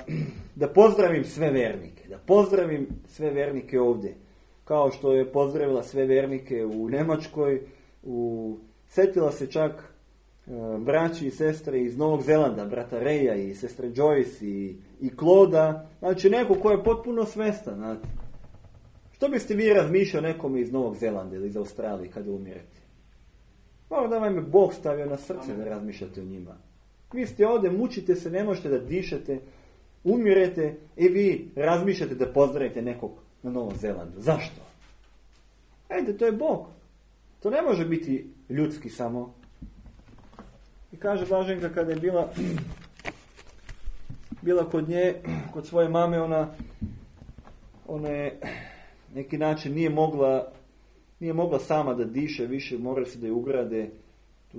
da pozdravim sve vernike. Da pozdravim sve vernike ovdje. Kao što je pozdravila sve vernike u Njemačkoj, u, setila se čak braći i sestre iz Novog Zelanda, brata Reja i sestre Joyce i, i Kloda, znači neko ko je potpuno svestan. Znate. Što biste vi razmišljali nekome iz Novog Zelanda ili iz Australije kada umirete? Možda da vam je Bog stavio na srce da razmišljate o njima. Vi ste ovdje, mučite se, ne možete da dišete, umirete i vi razmišljate da pozdravite nekog na Novom Zelandu. Zašto? Ejde, to je Bog. To ne može biti ljudski samo. I kaže Blaženka kada je bila bila kod nje, kod svoje mame, ona ona je neki način nije mogla nije mogla sama da diše više, morali se da je ugrade tu,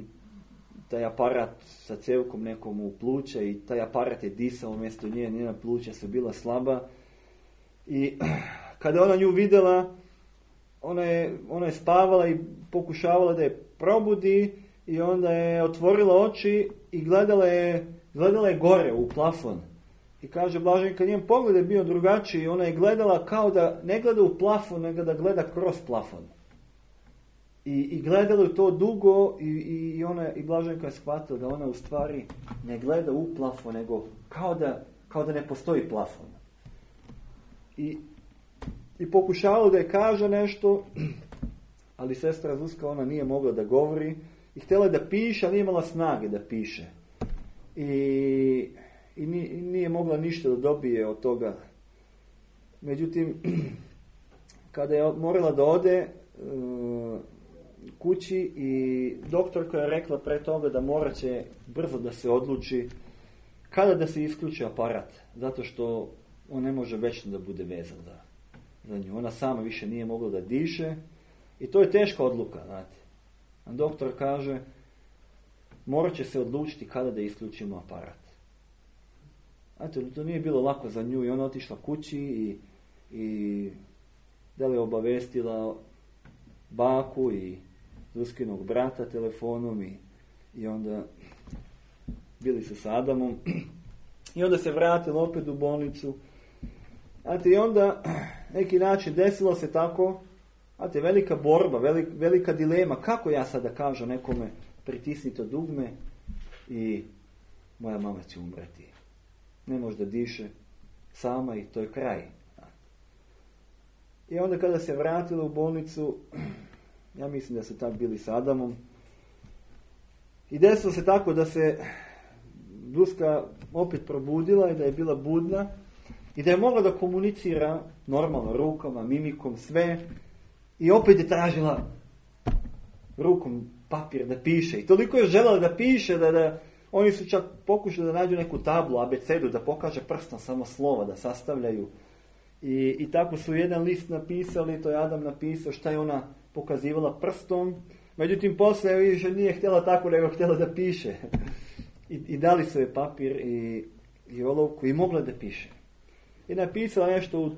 taj aparat sa cevkom nekom u pluća i taj aparat je disao umjesto nje, njena pluća su bila slaba i kada ona nju vidjela, ona je, ona je spavala i pokušavala da je probudi i onda je otvorila oči i gledala je, gledala je gore u plafon. I kaže Blaženka, njen pogled je bio drugačiji, ona je gledala kao da ne gleda u plafon, nego da gleda kroz plafon. I, i gledala je to dugo i, i, ona, i Blaženka je shvatila da ona u stvari ne gleda u plafon, nego kao da, kao da ne postoji plafon. I, i pokušavala da je kaže nešto, ali sestra Zuzka, ona nije mogla da govori i htjela je da piše, ali nije imala snage da piše. I, i nije mogla ništa da dobije od toga. Međutim, kada je morala da ode uh, kući i doktorka je rekla pre toga da morat će brzo da se odluči kada da se isključi aparat, zato što on ne može večno da bude vezan za, za nju. Ona sama više nije mogla da diše i to je teška odluka, znate. A doktor kaže, morat će se odlučiti kada da isključimo aparat. Znate, to nije bilo lako za nju i ona otišla kući i, i da li je obavestila baku i Zuzkinog brata telefonom i, i onda bili su sa Adamom i onda se vratila opet u bolnicu. Znate, i onda neki način desilo se tako, znate, velika borba, velika, velika dilema, kako ja sada kažem nekome pritisni to dugme i moja mama će umreti. Ne može da diše sama i to je kraj. I onda kada se vratila u bolnicu, ja mislim da su tak bili s Adamom, i desilo se tako da se Duska opet probudila i da je bila budna i da je mogla da komunicira normalno rukama, mimikom, sve, i opet je tražila rukom papir da piše. I toliko je željela da piše da, da oni su čak pokušali da nađu neku tablu, abecedu, da pokaže prstom samo slova, da sastavljaju. I, i tako su jedan list napisali, to je Adam napisao šta je ona pokazivala prstom. Međutim, poslije više nije htjela tako, nego htjela da piše. I, i dali su je papir i, i olovku i mogla da piše. I napisala nešto, u,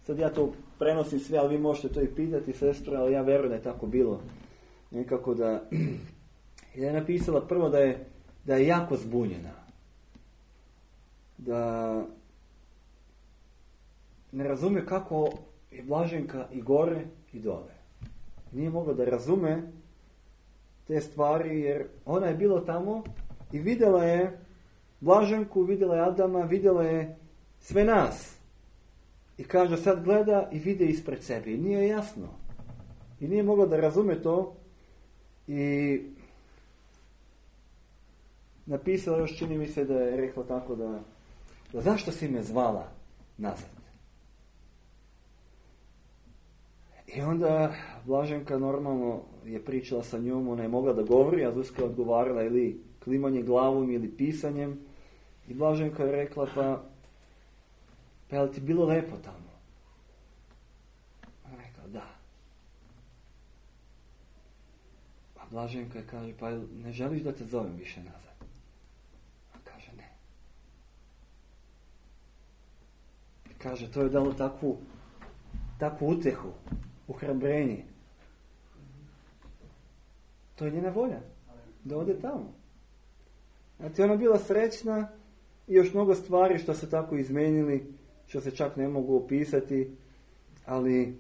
sad ja to prenosim sve, ali vi možete to i pitati, sestra, ali ja verujem da je tako bilo. Nekako da je napisala prvo da je, da je jako zbunjena. Da ne razume kako je Blaženka i gore i dole. Nije mogla da razume te stvari, jer ona je bila tamo i vidjela je Blaženku, vidjela je Adama, vidjela je sve nas. I kaže, sad gleda i vide ispred sebe. I nije jasno. I nije mogla da razume to. I napisala još, čini mi se da je rekla tako da, da zašto si me zvala nazad? I onda Blaženka normalno je pričala sa njom, ona je mogla da govori, a Zuzka je odgovarala ili klimanje glavom ili pisanjem. I Blaženka je rekla, pa, pa je li ti bilo lepo tamo? Ona je rekla, da. A Blaženka je kaže, pa ne želiš da te zovem više nazad? A kaže, ne. I kaže, to je dalo takvu, takvu utehu, uhrabrenje. To je njena volja, da ode tamo. Znači, ona bila srećna i još mnogo stvari što se tako izmenili, što se čak ne mogu opisati, ali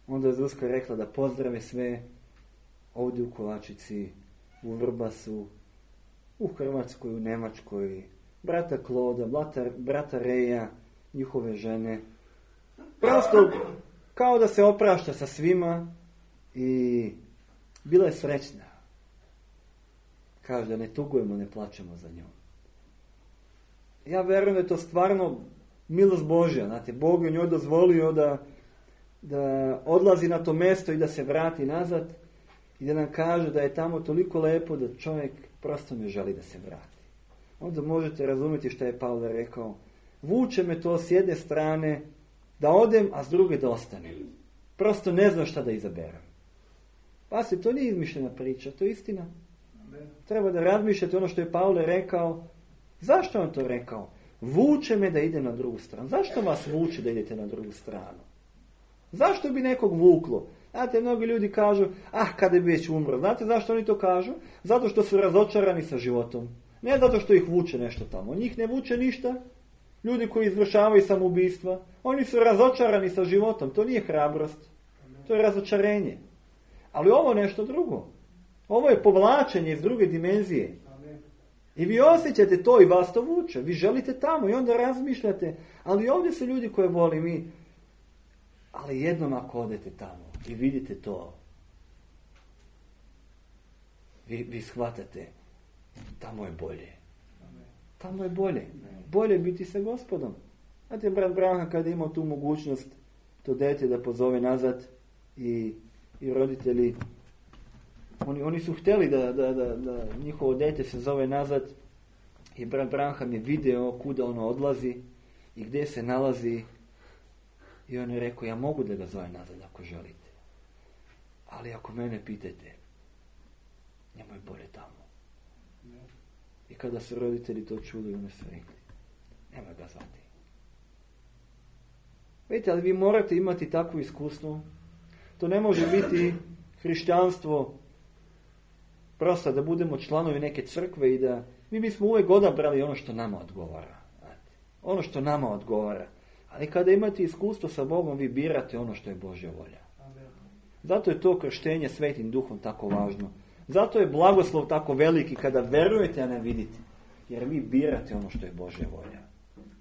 onda je Zuzka rekla da pozdrave sve ovdje u Kovačici, u Vrbasu, u Hrvatskoj, u Njemačkoj, brata Kloda, brata, brata Reja, njihove žene. Prosto kao da se oprašta sa svima i bila je srećna. Kaže da ne tugujemo, ne plačemo za njom. Ja verujem da je to stvarno milost Božja. Znate, Bog je njoj dozvolio da, da odlazi na to mjesto i da se vrati nazad i da nam kaže da je tamo toliko lepo da čovjek prosto ne želi da se vrati. Onda možete razumjeti što je Pavle rekao. Vuče me to s jedne strane da odem, a s druge da ostanem. Prosto ne znam šta da izaberem. Pa se to nije izmišljena priča, to je istina. Treba da razmišljate ono što je Pavle rekao. Zašto on to rekao? Vuče me da idem na drugu stranu. Zašto vas vuče da idete na drugu stranu? Zašto bi nekog vuklo? Znate, mnogi ljudi kažu, ah, kada bi već umro. Znate zašto oni to kažu? Zato što su razočarani sa životom. Ne zato što ih vuče nešto tamo. Njih ne vuče ništa. Ljudi koji izvršavaju samoubistva, oni su razočarani sa životom. To nije hrabrost. To je razočarenje. Ali ovo je nešto drugo. Ovo je povlačenje iz druge dimenzije. I vi osjećate to i vas to vuče. Vi želite tamo i onda razmišljate. Ali ovdje su ljudi koje voli mi. Ali jednom ako odete tamo i vidite to, vi, vi shvatate, tamo je bolje. Tamo je bolje. Bolje biti sa Gospodom. Znate, brat Branha kada je imao tu mogućnost to dete da pozove nazad i, i roditelji, oni, oni su htjeli da, da, da, da njihovo dete se zove nazad i brat Branham je video kuda ono odlazi i gdje se nalazi i on je rekao, ja mogu da ga zove nazad ako želite. Ali ako mene pitate, njemu je bolje tamo. I kada su roditelji to čuli, oni su rekli, nemoj ga zvati. Vidite, ali vi morate imati takvo iskustvo. To ne može biti hrišćanstvo prosto da budemo članovi neke crkve i da mi bismo uvijek odabrali ono što nama odgovara. Znate, ono što nama odgovara. Ali kada imate iskustvo sa Bogom, vi birate ono što je Božja volja. Zato je to krštenje Svetim Duhom tako važno. Zato je blagoslov tako veliki kada verujete, a ne vidite. Jer vi birate ono što je Božja volja.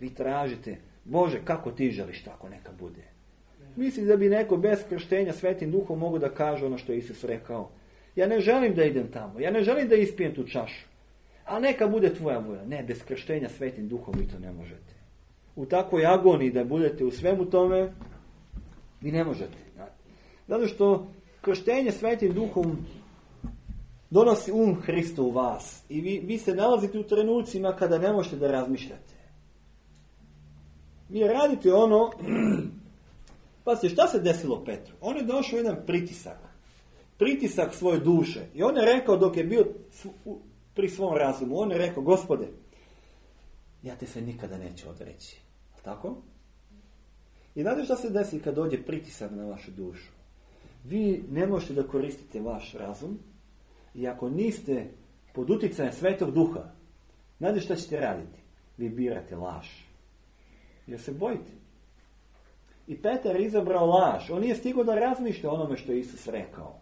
Vi tražite, Bože, kako ti želiš tako neka bude. Misli da bi neko bez krštenja Svetim Duhom mogu da kaže ono što je Isus rekao. Ja ne želim da idem tamo, ja ne želim da ispijem tu čašu, a neka bude tvoja volja. Ne, bez krštenja Svetim Duhom vi to ne možete. U takvoj agoniji da budete u svemu tome, vi ne možete. Zato što krštenje Svetim Duhom donosi um Hrista u vas. I vi, vi se nalazite u trenucima kada ne možete da razmišljate. Vi radite ono... Pa se šta se desilo Petru? On je došao jedan pritisak. Pritisak svoje duše. I on je rekao dok je bio pri svom razumu. On je rekao, Gospode, ja te se nikada neću odreći. Tako? I znate šta se desi kad dođe pritisak na vašu dušu? Vi ne možete da koristite vaš razum. I ako niste pod uticajem Svetog Duha, znate šta ćete raditi? Vi birate laž. Jer se bojite. I Petar je izabrao laž. On nije stigao da razmišlja onome što je Isus rekao.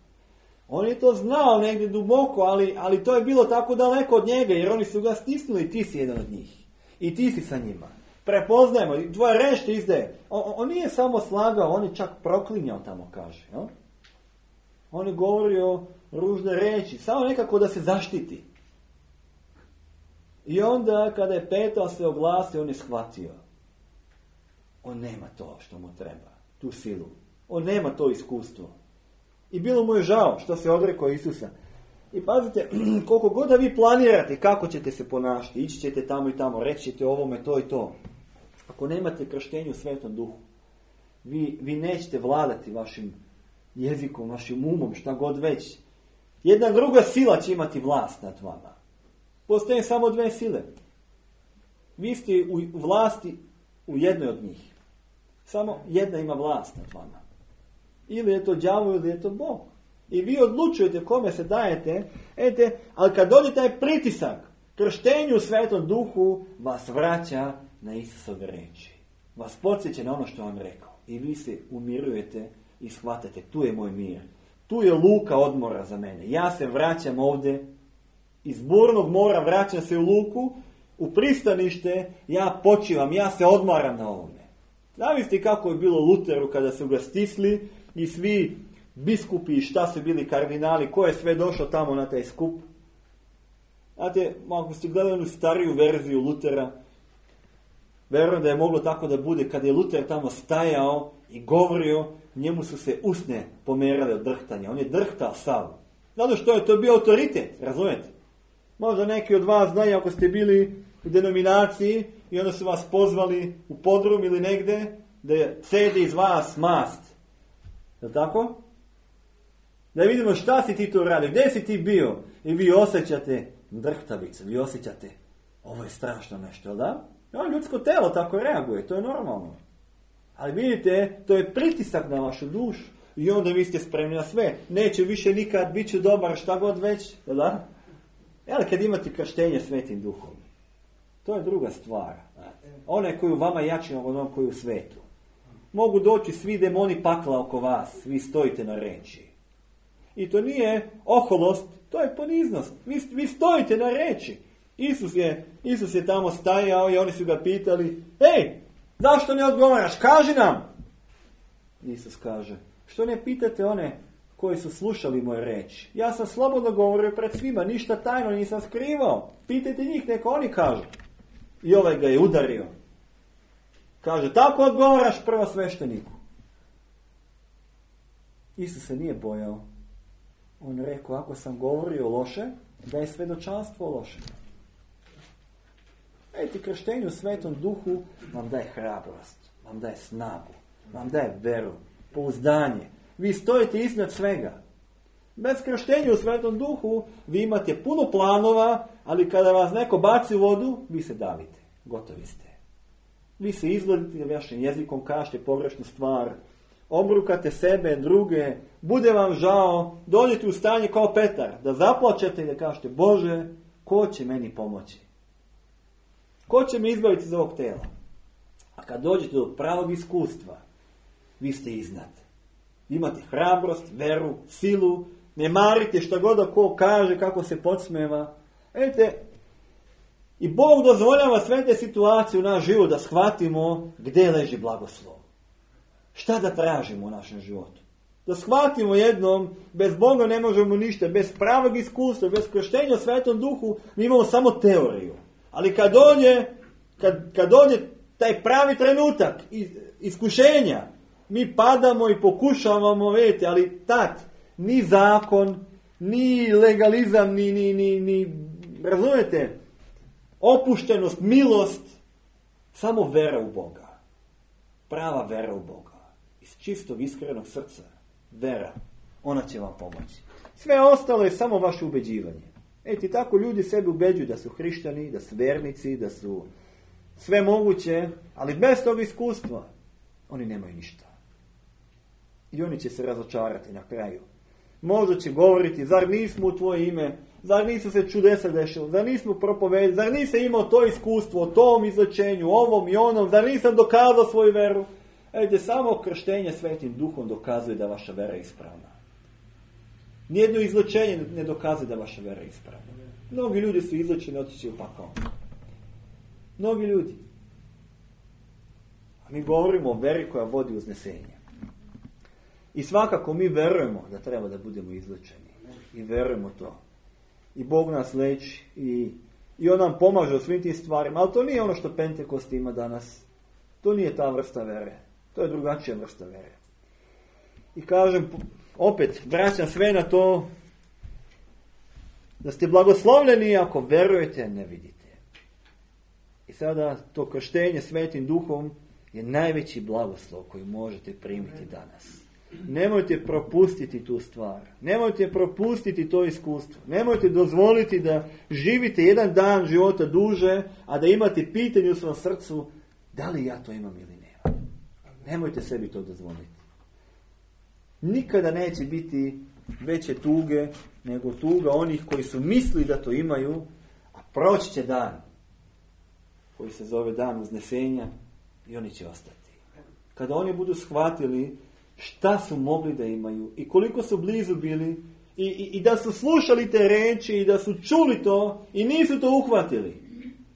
On je to znao negdje duboko, ali, ali to je bilo tako daleko od njega, jer oni su ga stisnuli i ti si jedan od njih. I ti si sa njima. Prepoznajemo, tvoja reč te izdaje. On, on nije samo slagao, on je čak proklinjao tamo, kaže. No? On je govorio ružne reči, samo nekako da se zaštiti. I onda kada je Petar se oglasio, on je shvatio. On nema to što mu treba, tu silu. On nema to iskustvo. I bilo mu je žao što se odrekao Isusa. I pazite, koliko god da vi planirate kako ćete se ponašati, ići ćete tamo i tamo, reći ćete ovome to i to. Ako nemate krštenje u Svetom Duhu, vi, vi nećete vladati vašim jezikom, vašim umom, šta god već. Jedna druga sila će imati vlast nad vama. Postoje samo dve sile. Vi ste u vlasti u jednoj od njih. Samo jedna ima vlast nad vama. Ili je to đavo, ili je to Bog. I vi odlučujete kome se dajete, ete, ali kad dođe taj pritisak, krštenju u Svetom Duhu vas vraća na Isusove reči. Vas podsjeća na ono što vam rekao. I vi se umirujete i shvatate, tu je moj mir. Tu je luka odmora za mene. Ja se vraćam ovdje, iz burnog mora vraćam se u luku, u pristanište, ja počivam, ja se odmaram na ovome. Zamislite kako je bilo Luteru kada su ga stisli i svi biskupi, šta su bili kardinali, ko je sve došao tamo na taj skup. Znate, ako ste gledali onu stariju verziju Lutera, verujem da je moglo tako da bude, kada je Luter tamo stajao i govorio, njemu su se usne pomerale od drhtanja. On je drhtao sav. Zato što je to bio autoritet, razumijete? Možda neki od vas znaju ako ste bili u denominaciji i onda su vas pozvali u podrum ili negdje da cedi iz vas mast. Je li tako? Da vidimo šta si ti tu radio, gdje si ti bio i vi osjećate drhtavicu, vi osjećate ovo je strašno nešto, jel da? No, ljudsko telo tako reaguje, to je normalno. Ali vidite, to je pritisak na vašu dušu i onda vi ste spremni na sve. Neće više nikad, bit ću dobar, šta god već, jel da? Ali kad imate krštenje Svetim Duhom, to je druga stvar. Onaj koji u vama jači od onog koji u svetu. Mogu doći svi demoni pakla oko vas, vi stojite na reči. I to nije oholost, to je poniznost. Vi, vi stojite na reči. Isus je, Isus je tamo stajao i oni su ga pitali, ej, zašto ne odgovaraš, kaži nam. Isus kaže, što ne pitate one koji su slušali moje reči. Ja sam slobodno govorio pred svima, ništa tajno nisam skrivao. Pitajte njih, neka oni kažu. I ovaj ga je udario. Kaže, tako odgovaraš prvo svešteniku. Isus se nije bojao. On rekao, ako sam govorio loše, da je svjedočanstvo loše. Eti, krštenju u Svetom Duhu vam daje hrabrost, vam daje snagu, vam daje veru, pouzdanje. Vi stojite iznad svega. Bez krštenja u Svetom Duhu vi imate puno planova, ali kada vas neko baci u vodu, vi se davite. Gotovi ste. Vi se izgledite vašim jezikom, kažete pogrešnu stvar, obrukate sebe, druge, bude vam žao, dođete u stanje kao Petar, da zaplačete i da kažete, Bože, ko će meni pomoći? Ko će me izbaviti iz ovog tela? A kad dođete do pravog iskustva, vi ste iznad. Imate hrabrost, veru, silu, ne marite šta god da ko kaže, kako se podsmeva. Vidite, i Bog dozvoljava sve te situacije u naš život da shvatimo gdje leži blagoslov. Šta da tražimo u našem životu? Da shvatimo jednom, bez Boga ne možemo ništa, bez pravog iskustva, bez krštenja u Svetom Duhu, mi imamo samo teoriju. Ali kad dođe, kad, kad dođe taj pravi trenutak iskušenja, mi padamo i pokušavamo, vidite, ali tad, ni zakon, ni legalizam, ni, ni, ni, ni, razumijete, opuštenost, milost, samo vera u Boga. Prava vera u Boga. Iz čistog, iskrenog srca. Vera. Ona će vam pomoći. Sve ostalo je samo vaše ubeđivanje. Eti, tako ljudi sebi ubeđuju da su hrišćani, da su vernici, da su sve moguće, ali bez tog iskustva oni nemaju ništa. I oni će se razočarati na kraju. Možda će govoriti, zar nismo u tvoje ime, zar nisu se čudesa dešava, zar nismo propovedali, zar nisam imao to iskustvo o tom izlečenju, ovom i onom, zar nisam dokazao svoju veru. Ejde, samo krštenje Svetim Duhom dokazuje da vaša vera je ispravna. Nijedno izlečenje ne dokazuje da vaša vera je ispravna. Mnogi ljudi su izlečeni, otići u pakao. Mnogi ljudi. A mi govorimo o veri koja vodi uznesenje. I svakako mi verujemo da treba da budemo izlečeni. I verujemo to. I Bog nas leči. I, i On nam pomaže u svim tim stvarima. Ali to nije ono što Pentekost ima danas. To nije ta vrsta vere. To je drugačija vrsta vere. I kažem, opet, vraćam sve na to da ste blagoslovljeni ako verujete, ne vidite. I sada to krštenje Svetim Duhom je najveći blagoslov koji možete primiti danas. Nemojte propustiti tu stvar. Nemojte propustiti to iskustvo. Nemojte dozvoliti da živite jedan dan života duže, a da imate pitanje u svom srcu da li ja to imam ili ne. Nemojte sebi to dozvoliti. Nikada neće biti veće tuge nego tuga onih koji su mislili da to imaju, a proći će dan koji se zove dan uznesenja i oni će ostati. Kada oni budu shvatili šta su mogli da imaju i koliko su blizu bili i, i, i da su slušali te reči i da su čuli to i nisu to uhvatili.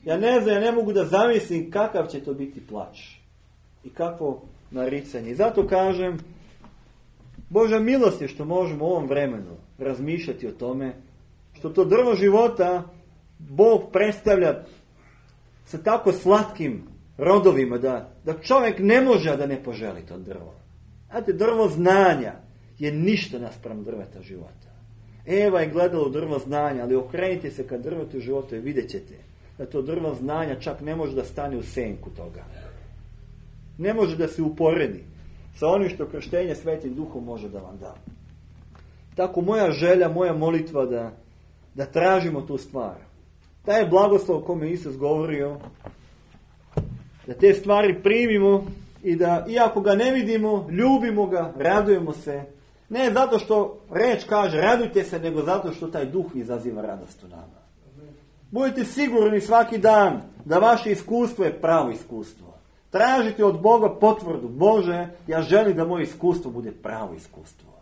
Ja ne znam, ja ne mogu da zamislim kakav će to biti plač i kakvo naricanje. I zato kažem, Božja milost je što možemo u ovom vremenu razmišljati o tome, što to drvo života Bog predstavlja sa tako slatkim rodovima da, da čovjek ne može da ne poželi to drvo. Znate, drvo znanja je ništa naspram drveta života. Eva je gledala u drvo znanja, ali okrenite se kad drvetu života i vidjet ćete da to drvo znanja čak ne može da stane u senku toga. Ne može da se uporedi sa onim što krštenje Svetim Duhom može da vam da. Tako moja želja, moja molitva da, da tražimo tu stvar. Taj je blagoslov o kome Isus govorio, da te stvari primimo i da, iako ga ne vidimo, ljubimo ga, radujemo se. Ne zato što reč kaže radujte se, nego zato što taj Duh izaziva radost u nama. Budite sigurni svaki dan da vaše iskustvo je pravo iskustvo. Tražite od Boga potvrdu. Bože, ja želim da moje iskustvo bude pravo iskustvo.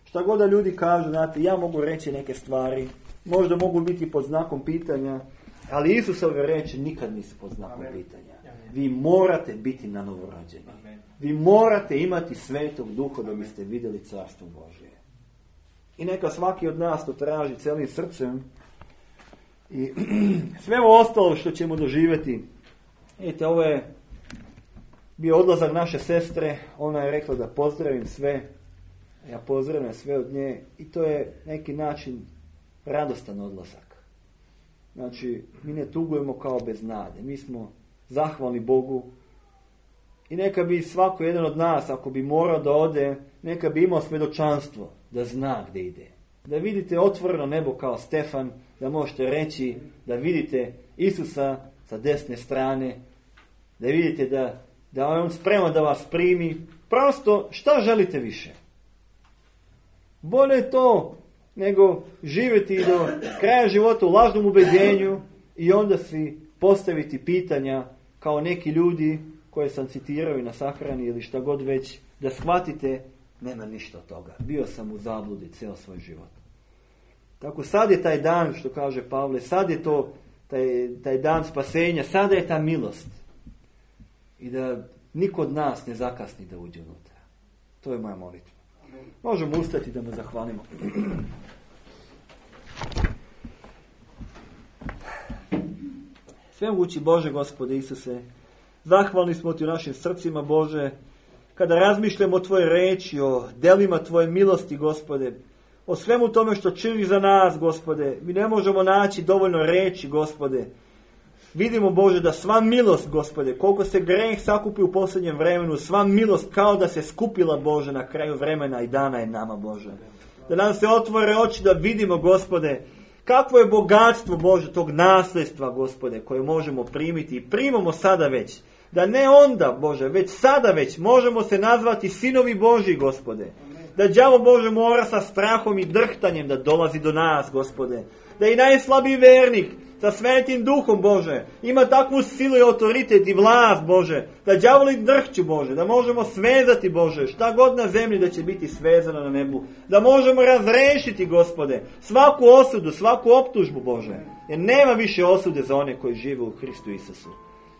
Šta god da ljudi kažu, znate, ja mogu reći neke stvari, možda mogu biti pod znakom pitanja, ali Isusove reči nikad nisu pod znakom Amen. Pitanja. Vi morate biti na novorođeni. Vi morate imati Svetog Duha da biste vidjeli Carstvo Božje. I neka svaki od nas to traži celim srcem. I sve ovo ostalo što ćemo doživjeti. Vidite, ovo je bio odlazak naše sestre. Ona je rekla da pozdravim sve. Ja pozdravim sve od nje. I to je neki način radostan odlazak. Znači, mi ne tugujemo kao bez nade. Mi smo zahvalni Bogu. I neka bi svako jedan od nas, ako bi morao da ode, neka bi imao svjedočanstvo da zna gdje ide. Da vidite otvoreno nebo kao Stefan, da možete reći da vidite Isusa sa desne strane, da vidite da, da je on spreman da vas primi. Prosto, šta želite više? Bolje je to nego živjeti do kraja života u lažnom ubeđenju i onda si postaviti pitanja kao neki ljudi koje sam citirao i na sahrani ili šta god već, da shvatite, nema ništa od toga. Bio sam u zabludi cijel svoj život. Tako sad je taj dan, što kaže Pavle, sad je to taj, taj dan spasenja, sada je ta milost. I da niko od nas ne zakasni da uđe unutra. To je moja molitva. Možemo ustati da mu zahvalimo. Svemogući Bože, Gospode Isuse, zahvalni smo Ti u našim srcima, Bože, kada razmišljamo o Tvoje reči, o delima Tvoje milosti, Gospode, o svemu tome što činiš za nas, Gospode. Mi ne možemo naći dovoljno reči, Gospode. Vidimo, Bože, da sva milost, Gospode, koliko se greh sakupi u posljednjem vremenu, sva milost kao da se skupila, Bože, na kraju vremena i dana je nama, Bože. Da nam se otvore oči da vidimo, Gospode, kakvo je bogatstvo, Bože, tog nasljedstva, Gospode, koje možemo primiti i primamo sada već. Da ne onda, Bože, već sada već možemo se nazvati sinovi Božji, Gospode. Da đavo, Bože, mora sa strahom i drhtanjem da dolazi do nas, Gospode. Da i najslabiji vernik sa Svetim Duhom, Bože, ima takvu silu i autoritet i vlast, Bože, da đavoli drhću, Bože, da možemo svezati, Bože, šta god na zemlji da će biti svezano na nebu, da možemo razrešiti, Gospode, svaku osudu, svaku optužbu, Bože, jer nema više osude za one koji žive u Hristu Isusu.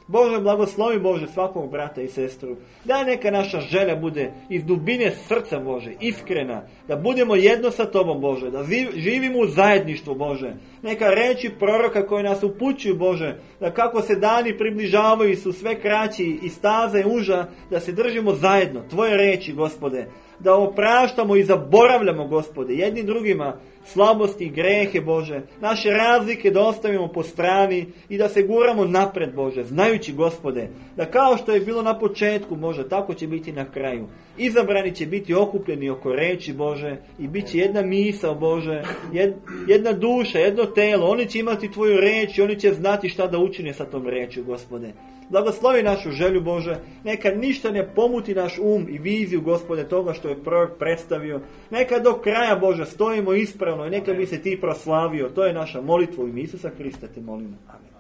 Bože, blagoslovi, Bože, svakog brata i sestru. Daj neka naša želja bude iz dubine srca, Bože, iskrena. Da budemo jedno sa Tobom, Bože. Da živimo u zajedništvu, Bože. Neka reči proroka koje nas upućuju, Bože. Da kako se dani približavaju su sve kraći i staze uža. Da se držimo zajedno. Tvoje reči, Gospode. Da opraštamo i zaboravljamo, Gospode, jednim drugima slabosti i grehe, Bože, naše razlike da ostavimo po strani i da se guramo napred, Bože, znajući, Gospode, da kao što je bilo na početku, Bože, tako će biti na kraju. Izabrani će biti okupljeni oko reči, Bože, i bit će jedna misao, Bože, jedna duša, jedno telo. Oni će imati Tvoju reč i oni će znati šta da učine sa tom rečju, Gospode. Blagoslovi našu želju, Bože, neka ništa ne pomuti naš um i viziju, Gospode, toga što je prorok predstavio. Neka do kraja, Bože, stojimo ispravno i neka bi se Ti proslavio. To je naša molitva u ime Isusa Hrista, te molimo. Amen.